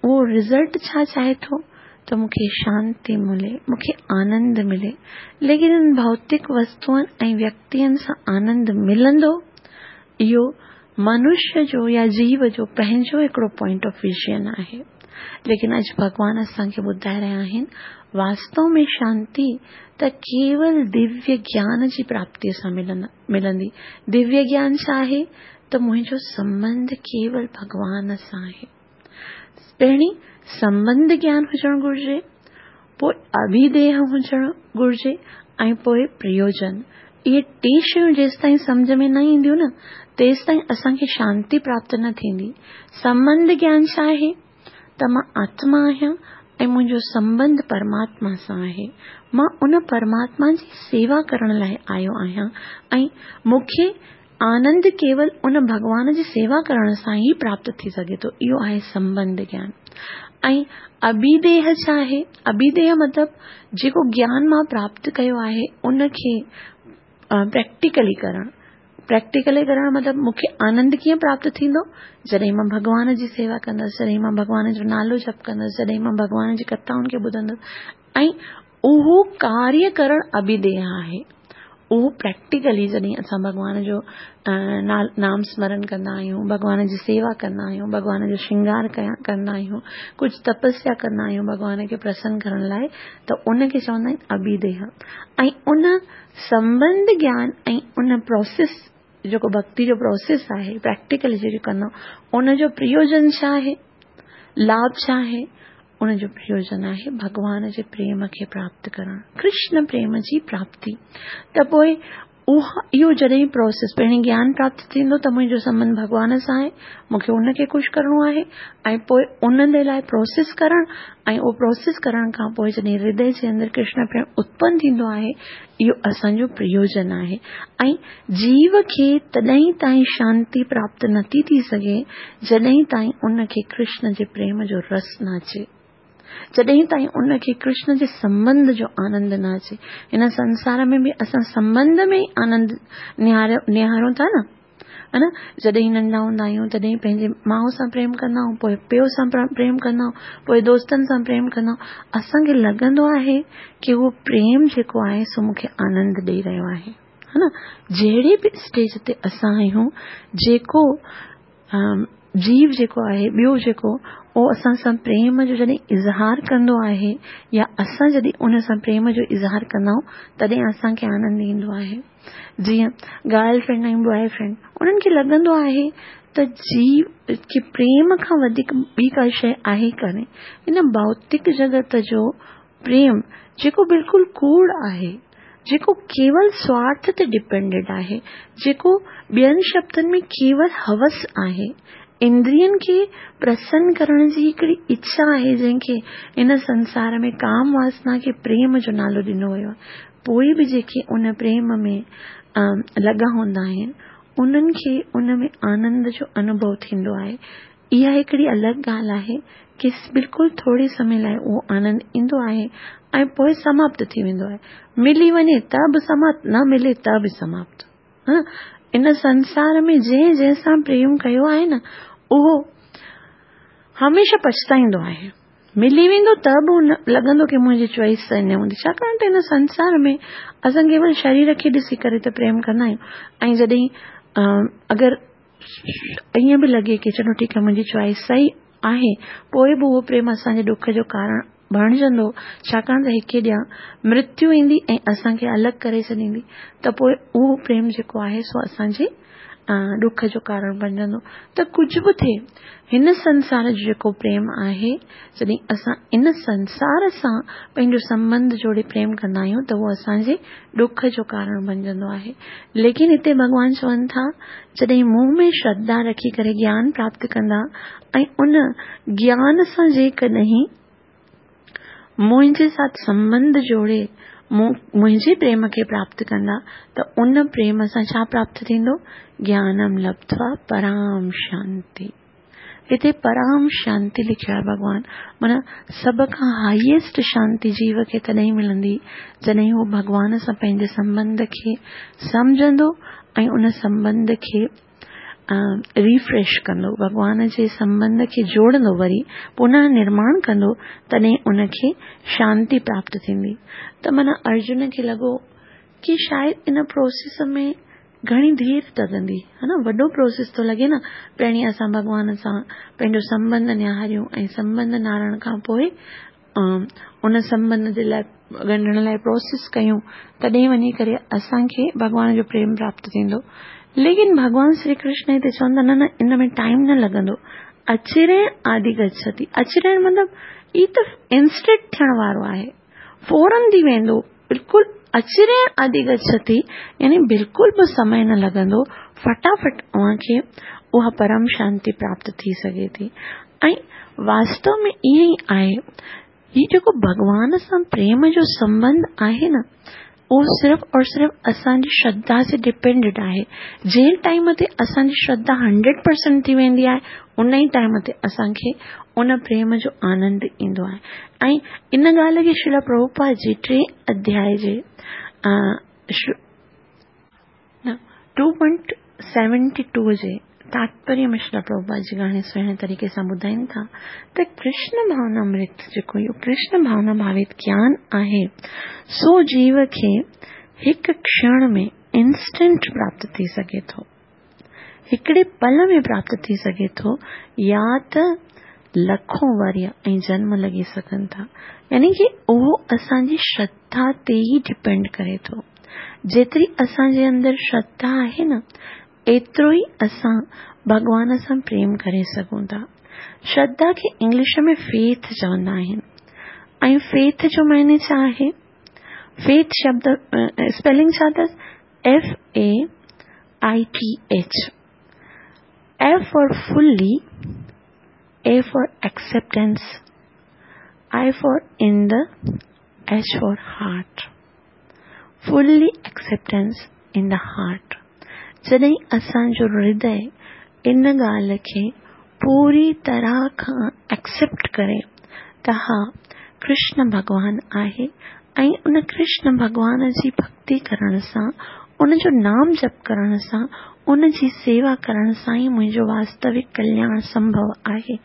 उहो रिज़ल्ट छा चाहे थो? त मूंखे शांति मिले, मूंखे आनंद मिले। लेकिन इन भौतिक वस्तुअनि ऐं व्यक्तियुनि सां आनंद मिलंदो, इहो मनुष्य जो या जीव जो पंहिंजो हिकिड़ो पॉइंट ऑफ विजन आहे। लेकिन अॼु भॻवान असांखे ॿुधाए रहिया आहिनि वास्तव में शांति त केवल दिव्य ज्ञान जी प्राप्तीअ सां मिलंदी। दिव्य ज्ञान छा आहे? त मुंहिंजो संबंध केवल भॻवान सां आहे। पहिरीं संबंध ज्ञान हुजणु घुरिजे, पोइ अभिधेय हुजणु घुरिजे ऐं पोइ प्रयोजन। इहे टे शयूं जेसि ताईं सम्झ में न ईंदियूं न, तेसि ताईं असांखे शांति प्राप्त न थींदी। संबंध ज्ञान छा आहे? त मां आत्मा आहियां ऐं मुंहिंजो संबंध परमात्मा सां आहे। मां उन परमात्मा जी सेवा करण लाइ आयो आहियां ऐं मूंखे आनंद केवल उन भॻवान जी सेवा करण सां ई प्राप्त थी सघे थो। इहो आहे संबंध ज्ञान। ऐं अभिधेय छा आहे? अभिधेय मतिलबु जेको ज्ञान मां प्राप्त कयो आहे उनखे प्रैक्टिकली करणु। प्रैक्टिकली करणु मतिलबु मूंखे आनंद कीअं प्राप्त थींदो? जॾहिं मां भॻवान जी सेवा कंदसि, जॾहिं मां भॻवान जो नालो जप कंदसि, जॾहिं मां भॻवान जी कथाउनि खे ॿुधंदसि ऐं उहो कार्य करणु अभिधेय आहे। उहो प्रैक्टिकली जॾहिं असां भॻवान जो नाम स्मरण कंदा आहियूं, भॻवान जी सेवा कंदा आहियूं, भॻवान जो श्रृंगार कंदा आहियूं, कुझु तपस्या कंदा आहियूं भॻवान खे प्रसन्न करण लाइ, त उनखे चवंदा आहिनि अभिधेय। ऐं उन संबंध ज्ञान ऐं उन प्रोसेस जेको भक्ति जो प्रोसेस आहे प्रैक्टिकली जेको कंदा उनजो प्रयोजन छा आहे, लाभ छा आहे? उनजो प्रयोजन आहे भॻवान जे प्रेम खे प्राप्त करणु, कृष्ण प्रेम जी प्राप्ति। त पोइ उहा इहो जॾहिं प्रोसेस पहिरीं ज्ञान प्राप्त थींदो त मुंहिंजो संबंध भॻवान सां आहे, मूंखे उनखे ख़ुशि करिणो आहे ऐं पोइ उन जे लाइ प्रोसेस करणु ऐं उहो प्रोसेस करण खां पोइ जॾहिं हृदय जे अंदरि कृष्ण प्रेम उत्पन्न थींदो आहे, इहो असांजो प्रयोजन आहे। ऐं जीव खे तॾहिं ताईं शांति प्राप्त नथी थी सघे जॾहिं ताईं उनखे कृष्ण जे प्रेम जो रस न अचे, जॾहिं ताईं उनखे कृष्ण जे संबंध जो आनंद न अचे। हिन संसार में बि असां संबंध में ई आनंद निहार निहारूं था न, हा न? जॾहिं नंढा हूंदा आहियूं तॾहिं पंहिंजे माउ सां प्रेम कंदा आहियूं, पोइ पीउ सां प्रेम कंदा आहियूं, पोइ दोस्तनि सां प्रेम कंदा आहियूं। असांखे लॻंदो आहे की उहो प्रेम जेको आहे सो मूंखे आनंद ॾेई रहियो आहे, हा न? जहिड़े बि स्टेज ते असां आहियूं, जेको जीव जेको आहे ॿियो जेको उहो असां सां प्रेम जो जॾहिं इज़हार कंदो आहे या असां जॾहिं उन सां प्रेम जो इज़हार कंदा आहियूं तॾहिं असांखे आनंद ईंदो आहे। जीअं गर्ल फ्रेंड ऐं बॉय फ्रेंड, उन्हनि खे लॻंदो आहे त जीव खे प्रेम खां वधीक ॿी का शइ आहे कान्हे। हिन भौतिक जगत जो प्रेम जेको बिल्कुलु कूड़ आहे, जेको केवल स्वार्थ ते डिपेंडेड आहे, जेको ॿियनि शब्दनि में केवल हवस आहे, इंद्रियनि खे प्रसन्न करण जी हिकिड़ी इच्छा आहे जंहिंखे हिन संसार में काम वासना खे प्रेम जो नालो ॾिनो वियो आहे। पोइ बि जेके उन प्रेम में लॻा हूंदा आहिनि उन्हनि खे उन में आनंद जो अनुभव थींदो आहे। इहा हिकिड़ी अलॻि ॻाल्हि आहे की बिल्कुलु थोरे समय लाइ उहो आनंद ईंदो आहे ऐं पोइ समाप्त थी वेंदो आहे। मिली वञे त बि समाप्त, न मिले त बि समाप्त। हा, इन संसार में जंहिं जंहिं सां प्रेम कयो आहे न उहो हमेशह पछताईंदो आहे। मिली वेंदो त बि लॻंदो की मुंहिंजी चॉइस सही न हूंदी, छाकाणि त हिन संसार में असां केवल शरीर खे ॾिसी करे त प्रेम कंदा आहियूं ऐं जॾहिं अगरि ईअं बि लॻे की चलो ठीकु आहे मुंहिंजी चॉइस सही आहे, पोइ बि उहो प्रेम असांजे ॾुख जो कारण بڻجندو، ڇاڪاڻ ته هڪ ڏينهن مرتيو ايندي ۽ اسان کي الڳ ڪري ڇڏيندي ته پوءِ اهو پريم جيڪو آهي سو اسان جي ڏک جو ڪارڻ بڻجندو. ته ڪجهه به ٿئي، هن سنسار جو جيڪو پريم آهي، جڏهن اسان ان سنسار سان پنهنجو سنٻنڌ جوڙي پريم ڪندا آهيون ته اهو اسان جي ڏک جو ڪارڻ بڻجندو آهي. ليڪن هتي ڀڳوان چون ٿا، جڏهن مون ۾ شرڌا رکي ڪري گيان پراپت ڪندا ۽ ان گيان سان جيڪڏهن منهنجي ساٿ سنٻنڌ جوڙي منهنجي پريم کي پراپت ڪندا ته ان پريم سان ڇا پراپت ٿيندو؟ گيانم لبڌوا پرام شانتي. هتي پرام شانتي لکيو آهي ڀڳوان، معنيٰ سڀ کان هائيسٽ شانتي جيو کي تڏهن ملندي جڏهن هو ڀڳوان سان پنهنجي سنٻنڌ کي سمجهندو ۽ ان سنٻنڌ کي ريفريش ڪندو، ڀڳوان جي سنٻنڌ کي جوڙندو، وري پنه نرماڻ ڪندو، تڏهن ان کي شانتي پراپت ٿيندي. ته معنيٰ ارجن کي لڳو ڪه شايد ان پروسيس ۾ گهڻي دير لڳندي، ها نه، وڏو پروسيس ٿو لڳي نه. پهرين اسان ڀڳوان سان پنهنجو سنٻنڌ نهاريون ۽ سنٻنڌ نهارڻ کان پوءِ ان سنٻنڌ جي لاءِ ڳنڍڻ لاءِ پروسيس ڪيون، تڏهن وڃي ڪري اسان کي ڀڳوان جو پريم پراپت ٿيندو. ليڪن ڀڳوان شري ڪرشن هتي چون ٿا نه نه، ان ۾ ٽائيم نه لڳندو. اچريڻ آدي گڇتي، اچريڻ مطلب هي ته انسٽنٽ ٿيڻ وارو آهي، فورن ٿي ويندو، بلڪل اچريڻ آدي گڇتي يعني بلڪل به سمي نه لڳندو، فٽافٽ اوهان کي اها پرم شانتي پراپت ٿي سگهي ٿي. ۽ واستو ۾ ائين ئي آهي، هي جيڪو ڀڳوان سان پريم جو سنٻنڌ آهي نه، اهو صرف اور صرف اسان جي شرڌا سي ڊپينڊڊ آهي. جنهن ٽائيم تي اسان جي شرڌا هنڊريڊ پرسينٽ ٿي ويندي آهي، ان ئي ٽائيم تي اسان کي ان پريم جو آنند ايندو آهي. ۽ ان ڳالهه کي شريلا پرڀوپاد جي ٽي اڌياءِ جي ٽو پوائنٽ سيونٽي ٽو جي تاتپريه ۾ شريلا پرڀوپاد جي گهڻي سهڻي طريقي سان ٻڌائين ٿا ته ڪرشن ڀاونا امرت جيڪو اهو ڪرشن ڀاونا ڀاوت گيان آهي، سو جيو کي هڪ ڪشڻ ۾ انسٽنٽ پراپت ٿي سگهي ٿو، هڪڙي پل ۾ پراپت ٿي سگهي ٿو، يا ته لکون ورهيه ۽ جنم لڳي سگهن ٿا. يعني ڪه اهو اسان جي شرڌا تي ئي ڊپينڊ ڪري ٿو. جيتري اسان جي اندر شرڌا آهي نه، ايترو ئي اسان ڀڳوان سان پريم ڪري سگهون ٿا. شرڌا کي انگلش ۾ فيٿ چوندا آهن، ۽ فيٿ جو معني ڇا آهي؟ فيٿ شبد اسپيلنگ ڇا اٿس؟ F A I T H. F for fully, A for acceptance, I for in the, H for heart. Fully acceptance in the heart. جڏهن اسان جو هردي ان ڳالهه کي پوري طرح کان ايڪسيپٽ ڪري ته ها ڪرشن ڀڳوان آهي ۽ ان ڪرشن ڀڳوان جي ڀڪتي ڪرڻ سان، ان جو نام جپ ڪرڻ سان، ان جي سيوا ڪرڻ سان ئي منهنجو واستوڪ ڪلياڻ سنڀو آهي،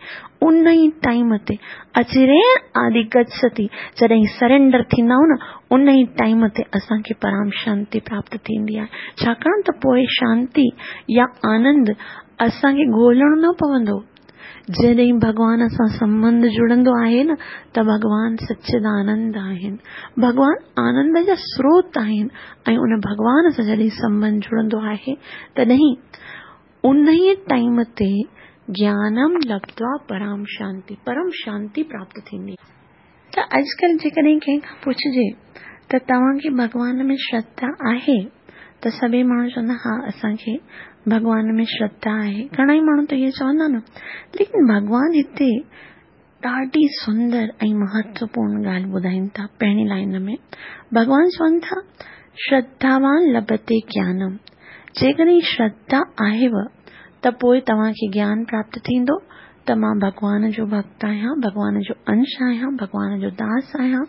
ان ئي ٽائيم تي اچريڻ آدي گڇتي، جڏهن سرينڊر ٿيندا آهيون نه، ان ئي ٽائيم تي اسان کي پرام شانتي پراپت ٿيندي آهي. ڇاڪاڻ ته پوءِ شانتي يا آنند اسان کي ڳولهڻو نه پوندو. جڏهن ڀڳوان سان سنٻنڌ جڙندو آهي نه، ته ڀڳوان سچدانند آهن، ڀڳوان آنند جا سروت آهن، ۽ ان ڀڳوان سان جڏهن سنٻنڌ جڙندو آهي تڏهن ان ئي ٽائيم تي گيانم لبڌوا پرام شانتي، پرم شانتي پراپت ٿيندي. ته اڄڪلهه جيڪڏهن ڪنهن کان پڇجي ته توهان کي ڀڳوان ۾ شرڌا آهي، ته سڀئي ماڻهو چوندا ها اسان کي ڀڳوان ۾ شرڌا آهي. گهڻا ئي ماڻهو ته اهو چوندا نه، ليڪن ڀڳوان هتي ڏاڍي سندر ۽ مهتوپورڻ ڳالهه ٻڌائين ٿا. پهرين لائن ۾ ڀڳوان چون ٿا شرڌاوان لڀتي گيانم، جيڪڏهن شرڌا آهيو ته پوءِ توهان کي گيان پراپت ٿيندو ته مان ڀڳوان جو ڀڪت آهيان، ڀڳوان جو انش آهيان، ڀڳوان جو داس آهيان،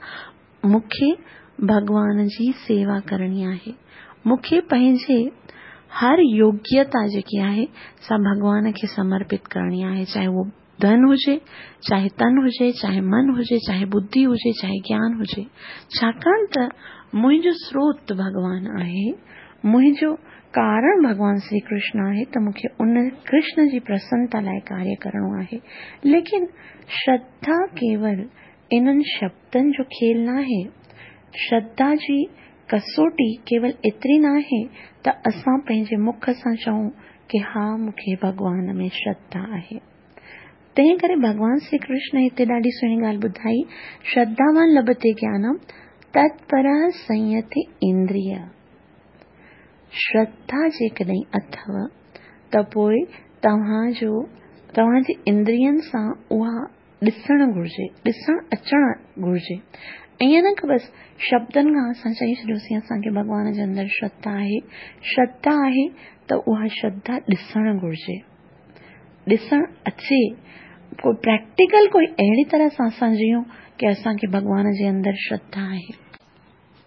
مون کي ڀڳوان جي سيوا ڪرڻي آهي، مون کي پنهنجي هر يوگيتا جيڪي آهي سا ڀڳوان کي سمرپت ڪرڻي آهي، چاهي اهو ڌن هجي، چاهي تن هجي، چاهي من هجي، چاهي ٻڌي هجي، چاهي گيان هجي. ڇاڪاڻ ته منهنجو سروت ڀڳوان آهي، منهنجو ڪارڻ ڀڳوان شري ڪرشن آهي، ته مون کي ان ڪرشن جي پرسنتا لاءِ ڪاريه ڪرڻو آهي. ليڪن شرڌا ڪيول इन्हनि शब्दनि जो खेल नाहे। श्रद्धा जी कसोटी केवल एतिरी नाहे त असां पंहिंजे मुख सां चऊं की हा मूंखे भॻवान में श्रद्धा आहे। तंहिं करे भॻवान श्री कृष्ण हिते ॾाढी सुहिणी ॻाल्हि ॿुधाई, श्रद्धावान लभते ज्ञानम तत्पर संयति इंद्रिय। श्रद्धा जेकॾहिं अथव त पोइ तव्हांजो तव्हांजे इंद्रियनि सां उहा ॾिसणु घुर्जे, ॾिसणु अचणु घुर्जे। ईअं न की बसि शब्दनि खां असां चई छॾियोसीं असांखे भॻवान जे अंदरि श्रद्धा आहे। श्रद्धा आहे त उहा श्रद्धा ॾिसणु घुर्जे, ॾिसणु अचे, को प्रैक्टिकल कोई अहिड़ी तरह सां असां जीऊं की असांखे भॻवान जे अंदरि श्रद्धा आहे।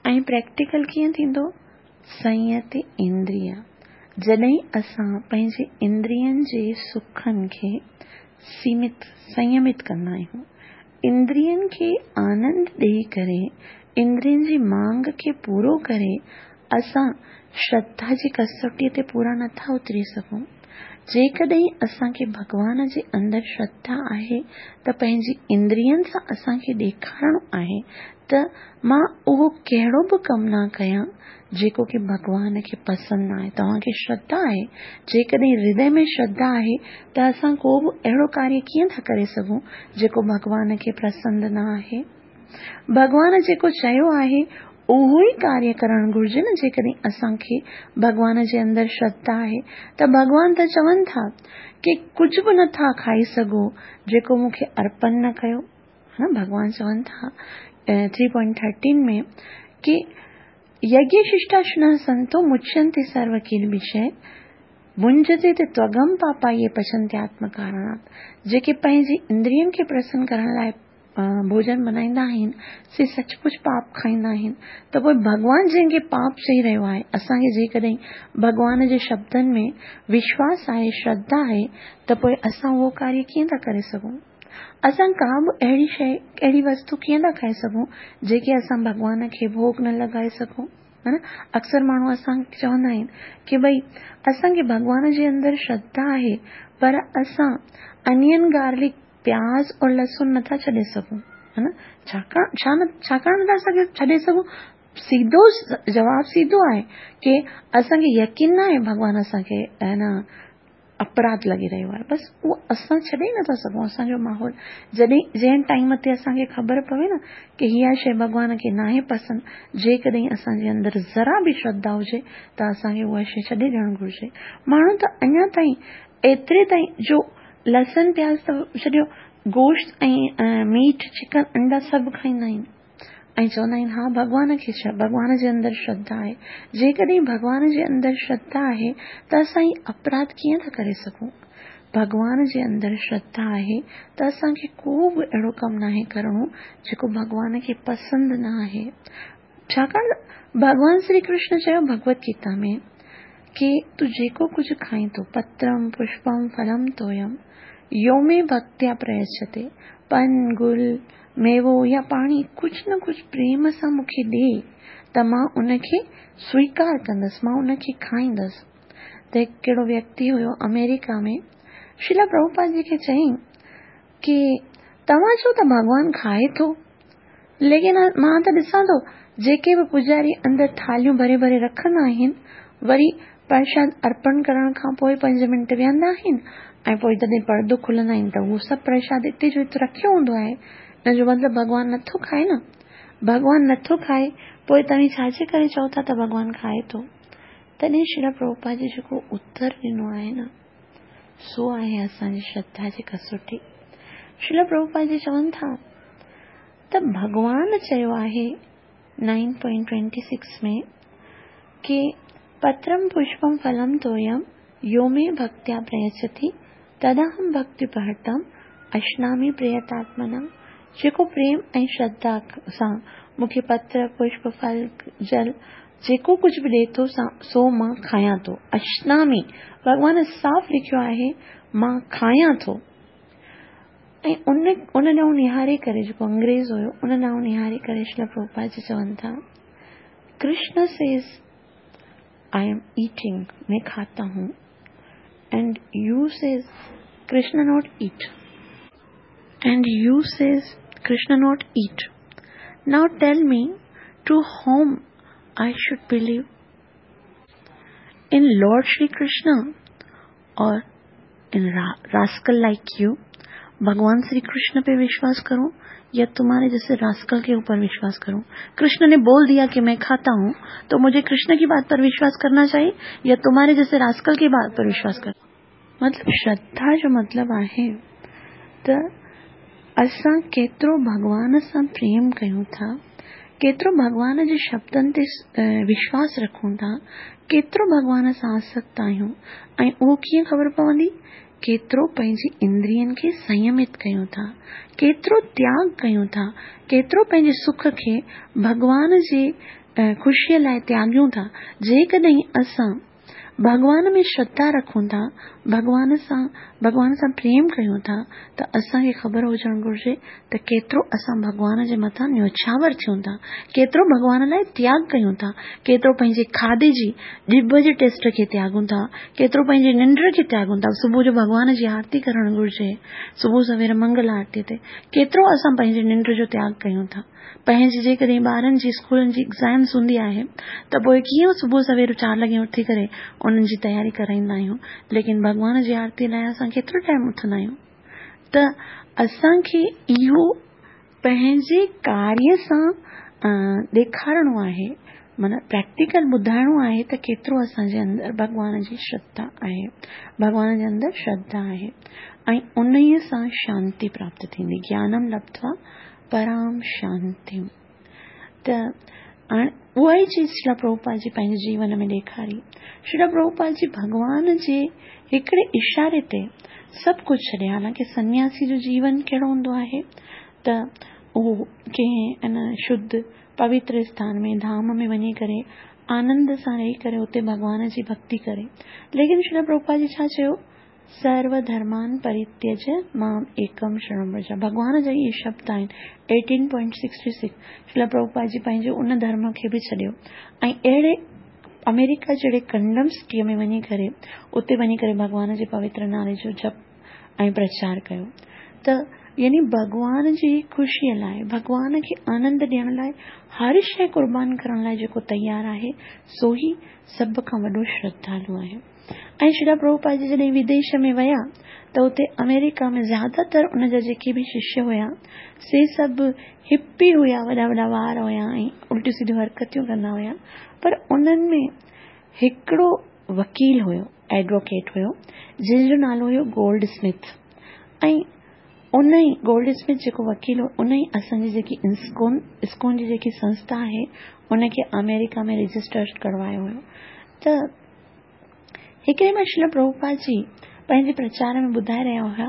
ऐं प्रैक्टिकल कीअं थींदो? संयत इंद्रिय। जॾहिं असां पंहिंजे इंद्रियनि जे सुखनि खे सीमित संयमित कंदा आहियूं, इंद्रियनि खे आनंद ॾेई करे, इंद्रियनि जी मांग खे पूरो करे असां श्रद्धा जी कसोटीअ ते पूरा नथा उतरी सघूं। जेकॾहिं असांखे भॻवान जे अंदरि श्रद्धा आहे त पंहिंजी इंद्रियनि सां असांखे ॾेखारणो आहे त मां उहो कहिड़ो बि कमु न कयां जेको की भॻवान खे पसंदि न आहे। तव्हांखे श्रद्धा आहे, जेकॾहिं हृदय में श्रद्धा आहे त असां को बि अहिड़ो कार्य कीअं था करे सघूं जेको भॻवान खे पसंदि न आहे। भॻवान जेको चयो आहे उहो ई कार्य करणु घुर्जे न। जेकॾहिं असांखे भॻवान जे अंदरि श्रद्धा आहे त भॻवान त चवनि था की कुझु बि नथा खाई सघो जेको मूंखे अर्पण न कयो। हा, भॻवान चवनि था थ्री पॉइंट थर्टीन में की यज्ञ शिष्टाशनः संतो मुच्यन्ते सर्व किल्बिषैः भुंजते ते त्वगम पापा ये पचन्ते आत्मकारणात्। जेके पंहिंजी इंद्रियनि खे प्रसन्न करण लाइ भोजन बनाईंदा आहिनि से सचमुच पाप खाईंदा आहिनि। त पोइ भॻवान जंहिंखे पाप चई रहियो आहे, असांखे जेकॾहिं भॻवान जे शब्दनि में विश्वास आहे, श्रद्धा आहे, त पोइ असां उहो कार्य कीअं था करे सघूं? असां का बि अहिड़ी शइ, अहिड़ी वस्तु कीअं था खाई सघूं जेके असां भॻवान खे भोग न लॻाए सघूं? हा न, अक्सर माण्हू असांखे चवंदा आहिनि की भई असांखे भॻवान जे अंदरि श्रद्धा आहे पर असां अनियन, गार्लिक, प्याज़ और लहसुन नथा छॾे सघूं। हा न, छाकाणि छा न छाकाणि नथा सघे छॾे सघूं? सीधो जवाबु सीधो आहे की असांखे यकीन न आहे भॻवान असांखे है न अपराध लॻी रहियो आहे, बसि उहो असां छॾे ई नथा सघूं। असांजो माहौल जॾहिं जंहिं टाइम ते असांखे ख़बर पवे न की इहा शइ भॻवान खे नाहे पसंदि, जेकॾहिं असांजे अंदरि ज़रा बि श्रद्धा हुजे त असांखे उहा शइ छॾे ॾियणु घुर्जे। माण्हू त अञा ताईं एतिरे ताईं जो लहसुन प्याज़ त छॾियो, गोश्त ऐं मीट, चिकन, अंडा सभु खाईंदा आहिनि ऐं चवंदा आहिनि हा भॻवान खे भॻवान जे अंदरि श्रद्धा आहे। जेकॾहिं भॻवान जे अंदरि श्रद्धा आहे त असां हीअ अपराध कीअं था करे सघूं? भॻवान जे अंदरि श्रद्धा आहे त असांखे को बि अहिड़ो कमु नाहे करिणो जेको भॻवान खे पसंदि न आहे। छाकाणि भॻवान श्री कृष्ण चयो भगवत गीता में की तूं जेको कुझु खाईं थो, पत्रम पुष्पम फलम तोयम यो मे भक्त्या प्रयच्छते, पन गुल मेवो या पाणी कुझु न कुझु प्रेम सां मूंखे ॾे त मां उनखे स्वीकार कंदसि, मां उनखे खाईंदसि। त हिकु कहिड़ो व्यक्ति हुयो अमेरिका में, श्रीला प्रभुपाद जी खे चयईं की तव्हां चओ त भॻवान खाए थो, लेकिन मां त ॾिसां थो जेके बि पुजारी अंदरि थालियूं भरे भरे रखंदा आहिनि, वरी प्रसाद अर्पण करण खां पोइ पंज मिंट वेहंदा आहिनि ऐं पोइ जॾहिं पर्दो खुलंदा आहिनि त उहो सभु प्रसाद हिते जो हिते रखियो हूंदो आहे। हिन जो मतिलबु भॻवान नथो खाए न, भॻवान नथो खाए, पोइ तव्हीं छाजे करे चओ था त भॻवान खाए थो? तॾहिं श्रीला प्रभुपाद जी जेको उत्तर ॾिनो आहे न, सो आहे असांजी श्रद्धा जी कसोटी। श्रीला प्रभुपाद जी चवनि था त भॻवान चयो आहे नाइन पॉइंट ट्वेंटी सिक्स में की पत्रम पुष्पम फलम तोयम यो मे भक्त्या प्रयच्छति तदहम भक्त्युपहृतम अश्नामि प्रयतात्मना। जेको प्रेम ऐं श्रद्धा सां मूंखे पत्र, पुष्प, फल, जल जेको कुझु बि ॾिए थो सो मां खायां थो। अश्नामि, भॻवान साफ़ लिखियो आहे मां खायां थो। ऐं उन उन ॾांहुं निहारे करे जेको अंग्रेज़ हुयो उन ॾांहुं निहारे करे श्रील प्रभुपाद जी चवनि था, Krishna says I am eating, मैं खाता हूँ, and you says Krishna not eat, and you says Krishna not eat. Now tell me, to whom I should believe? In Lord Shri Krishna or in rascal like you? भगवान श्री कृष्ण पे विश्वास करूं या तुम्हारे जैसे rascal के ऊपर विश्वास करूं? कृष्ण ने बोल दिया कि मैं खाता हूं, तो मुझे कृष्ण की बात पर विश्वास करना चाहिए या तुम्हारे जैसे रास्कल की बात पर विश्वास कर? मतलब श्रद्धा जो मतलब आहे त असां केतिरो भॻवान सां प्रेम कयूं था, केतिरो भॻवान जे शब्दनि ते विश्वास रखूं था, केतिरो भॻवान सां आसक्त आहियूं। ऐं उहो कीअं ख़बर पवंदी? केतिरो पंहिंजी इंद्रियनि खे संयमित कयूं था, केतिरो त्याग कयूं था, केतिरो पंहिंजे सुख खे भॻवान जे ख़ुशीअ लाइ त्यागियूं था। जेकॾहिं असां भॻवान में श्रद्धा रखूं था, भॻवान सां भॻवान सां प्रेम कयूं था, त असांखे ख़बर हुजणु घुरिजे त केतिरो असां भॻवान जे मथां न्योछावर थियूं था, केतिरो भॻवान लाइ त्याग कयूं था, केतिरो पंहिंजे खाधे जी ॼिभ जे टेस्ट खे त्यागूं था, केतिरो पंहिंजी निंड खे त्यागूं था। सुबुह जो भॻवान जी आरती करणु घुरिजे, सुबुह सवेर मंगल आरती ते केतिरो असां पंहिंजी निंड जो त्याग कयूं था। पंहिंजी जेकॾहिं ॿारनि जी स्कूलनि जी एग्ज़ाम्स हूंदी आहे त पोइ कीअं सुबुह सवेर चारि लॻे उथी करे उन्हनि जी तयारी कराईंदा आहियूं, लेकिन भॻवान जी आरती लाइ असां केतिरो टाइम उथंदा आहियूं। त असांखे इहो पंहिंजे कार्य सां ॾेखारिणो आहे, माना प्रैक्टिकल ॿुधाइणो आहे त केतिरो असांजे अंदरि भॻवान जी श्रद्धा आहे, भॻवान जे अंदरि श्रद्धा आहे, ऐं उन सां शांति प्राप्त थींदी। ज्ञानम लब्ध्वा पराम शांति। त हाणे उहा ई चीज़ श्रील प्रभुपाद जी पंहिंजे जीवन में ॾेखारी। श्रील प्रभुपाद जी भॻवान जे हिकिड़े इशारे ते सभु कुझु छॾे। हालांकि सन्यासी जो जीवन कहिड़ो हूंदो आहे त उहो कंहिं अन शुद्ध पवित्र स्थान में धाम में वञी करे आनंद सां रही करे उते भॻवान जी भक्ति करे। लेकिन श्रील प्रभुपाद जी छा चयो? सर्व धर्मान परित्यज माम एकम शरणं व्रज। भॻवान जा इहे शब्द आहिनि eighteen point sixty six. Srila Prabhupada ji पंहिंजे उन धर्म खे बि छॾियो ऐं अहिड़े अमेरिका जहिड़े कंडम सिटीअ में वञी करे उते वञी करे भॻवान जे पवित्र नाले जो जप ऐं प्रचार कयो। त यानी भॻवान जी ख़ुशीअ लाइ, भॻवान खे आनंद ॾियण लाइ, हर शइ क़ुर्बान करण लाइ जेको तयारु आहे सो ई सभ खां वॾो श्रद्धालु आहे। ऐं श्रील प्रभुपाद जी जॾहिं विदेश में विया त उते अमेरिका में ज़्यादातर उन जा जेके बि शिष्य हुया से सभु हिपी हुया, वॾा वॾा वार हुया ऐं उल्टियूं सिधियूं हरकतियूं कंदा हुया। पर उन्हनि में हिकिड़ो वकील हुयो, एडवोकेट हुयो, जंहिंजो नालो हुयो गोल्ड स्मिथ। ऐं उन ई गोल्ड स्मिथ जेको वकील हो उन ई असांजी जेकी इस्कॉन इस्कॉन जी जेकी संस्था आहे उनखे अमेरिका में रजिस्टर करवायो हुयो। त हिकिड़े मां श्रील प्रभुपाद जी पंहिंजे प्रचार में ॿुधाए रहिया हुया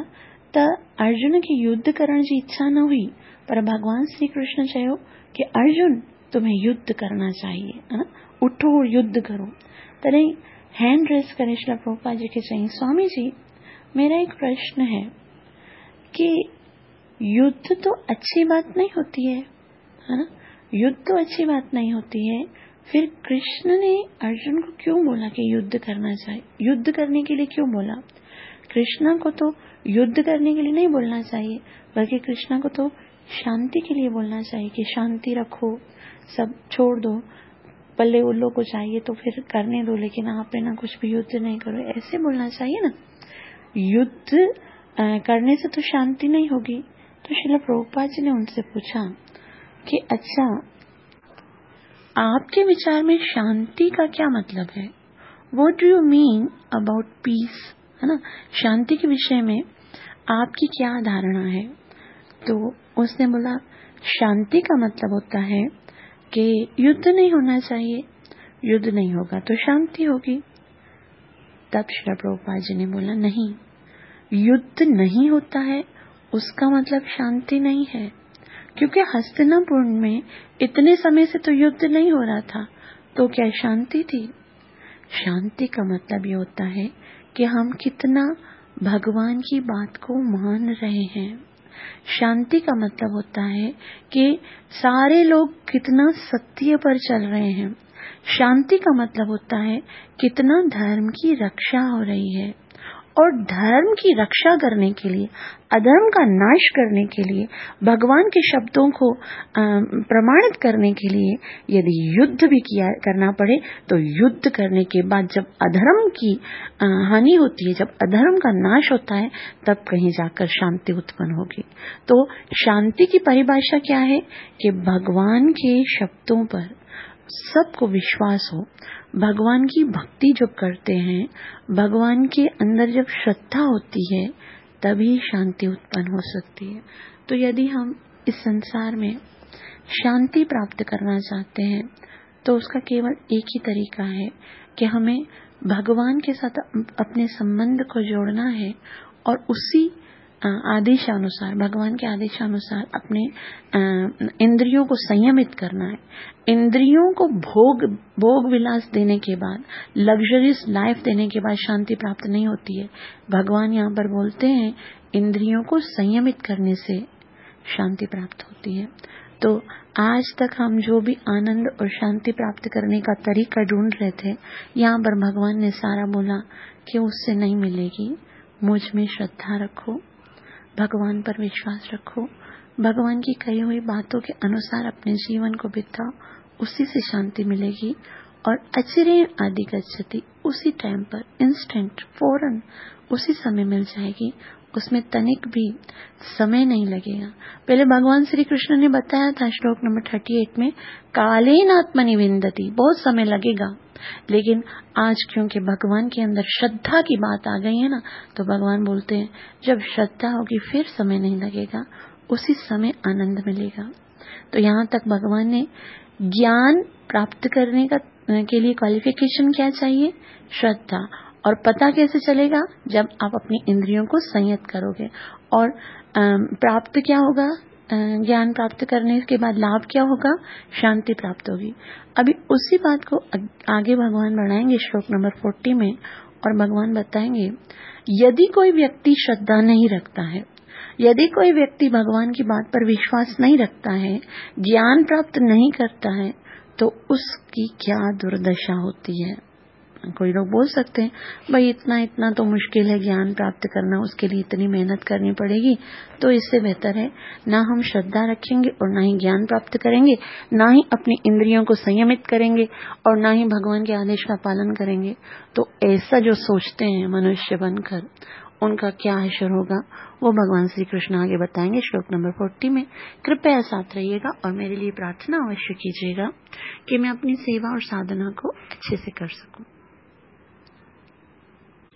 त अर्जुन खे युद्ध करण जी इच्छा न हुई, पर भॻवान श्री कृष्ण चयो कि अर्जुन तुम्हें युद्ध करना चाहिए, है ना, उठो और युद्ध करो। तॾहिं हैंड रेस करे श्रील प्रभुपाद जी खे चयईं, स्वामी जी मेरा एक प्रश्न है कि युद्ध तो अच्छी बात नहीं होती है, है ना, युद्ध तो अच्छी बात नहीं होती है, फिर कृष्ण ने अर्जुन को क्यों बोला कि युद्ध करना चाहिए? युद्ध करने के लिए क्यों बोला? कृष्णा को तो युद्ध करने के लिए नहीं बोलना चाहिए, बल्कि कृष्णा को तो शांति के लिए बोलना चाहिए कि शांति रखो, सब छोड़ दो, पल्ले उल्लो को चाहिए तो फिर करने दो, लेकिन आप ना कुछ भी युद्ध नहीं करो, ऐसे बोलना चाहिए ना। युद्ध करने से तो शांति नहीं होगी। तो श्रील प्रभुपाद जी ने उनसे पूछा कि अच्छा, आपके विचार में शांति का क्या मतलब है? What do you mean about peace, है ना, शांति के विषय में आपकी क्या धारणा है? तो उसने बोला, शांति का मतलब होता है कि युद्ध नहीं होना चाहिए, युद्ध नहीं होगा तो शांति होगी। तब श्रील प्रभुपाद जी ने बोला, नहीं, युद्ध नहीं होता है उसका मतलब शांति नहीं है, क्योंकि हस्तिनापुर में इतने समय से तो युद्ध नहीं हो रहा था, तो क्या शांति थी? शांति का मतलब ये होता है कि हम कितना भगवान की बात को मान रहे हैं। शांति का मतलब होता है कि सारे लोग कितना सत्य पर चल रहे हैं। शांति का मतलब होता है कितना धर्म की रक्षा हो रही है। और धर्म की रक्षा करने के लिए, अधर्म का नाश करने के लिए, भगवान के शब्दों को प्रमाणित करने के लिए यदि युद्ध भी किया करना पड़े तो युद्ध करने के बाद जब अधर्म की हानि होती है, जब अधर्म का नाश होता है, तब कहीं जाकर शांति उत्पन्न होगी। तो शांति की परिभाषा क्या है कि भगवान के शब्दों पर सबको विश्वास हो, भगवान की भक्ति जब करते हैं, भगवान के अंदर जब श्रद्धा होती है, तभी शांति उत्पन्न हो सकती है। तो यदि हम इस संसार में शांति प्राप्त करना चाहते हैं तो उसका केवल एक ही तरीका है कि हमें भगवान के साथ अपने संबंध को जोड़ना है और उसी आदेशानुसार, भगवान के आदेशानुसार अपने इंद्रियों को संयमित करना है। इंद्रियों को भोग भोग विलास देने के बाद, लग्जरियस लाइफ देने के बाद शांति प्राप्त नहीं होती है। भगवान यहाँ पर बोलते हैं इंद्रियों को संयमित करने से शांति प्राप्त होती है। तो आज तक हम जो भी आनंद और शांति प्राप्त करने का तरीका ढूंढ रहे थे, यहाँ पर भगवान ने सारा बोला कि उससे नहीं मिलेगी। मुझ में श्रद्धा रखो, भगवान पर विश्वास रखो, भगवान की कही हुई बातों के अनुसार अपने जीवन को बिताओ, उसी से शांति मिलेगी। और अचिरेण आदि गच्छति, उसी टाइम पर इंस्टेंट फौरन उसी समय मिल जाएगी, उसमें तनिक भी समय नहीं लगेगा। पहले भगवान श्री कृष्ण ने बताया था श्लोक नंबर थर्टी एट में, कालेन आत्मनि विन्दति, बहुत समय लगेगा। लेकिन आज क्योंकि भगवान के अंदर श्रद्धा की बात आ गई है ना, तो भगवान बोलते हैं जब श्रद्धा होगी फिर समय नहीं लगेगा, उसी समय आनंद मिलेगा। तो यहाँ तक भगवान ने ज्ञान प्राप्त करने का के लिए क्वालिफिकेशन क्या चाहिए? श्रद्धा। और पता कैसे चलेगा? जब आप अपनी इंद्रियों को संयत करोगे। और प्राप्त क्या होगा? ज्ञान प्राप्त करने के बाद लाभ क्या होगा? शांति प्राप्त होगी। अभी उसी बात को आगे भगवान बढ़ाएंगे श्लोक नंबर फोर्टी में, और भगवान बताएंगे यदि कोई व्यक्ति श्रद्धा नहीं रखता है, यदि कोई व्यक्ति भगवान की बात पर विश्वास नहीं रखता है, ज्ञान प्राप्त नहीं करता है, तो उसकी क्या दुर्दशा होती है। कोई लोग बोल सकते हैं भाई इतना इतना तो मुश्किल है ज्ञान प्राप्त करना, उसके लिए इतनी मेहनत करनी पड़ेगी, तो इससे बेहतर है ना हम श्रद्धा रखेंगे और ना ही ज्ञान प्राप्त करेंगे, ना ही अपनी इंद्रियों को संयमित करेंगे और ना ही भगवान के आदेश का पालन करेंगे। तो ऐसा जो सोचते हैं मनुष्य बनकर, उनका क्या हशर होगा वो भगवान श्री कृष्ण आगे बताएंगे श्लोक नंबर फोर्टी में। कृपया साथ रहिएगा और मेरे लिए प्रार्थना अवश्य कीजिएगा कि मैं अपनी सेवा और साधना को अच्छे से कर सकूं।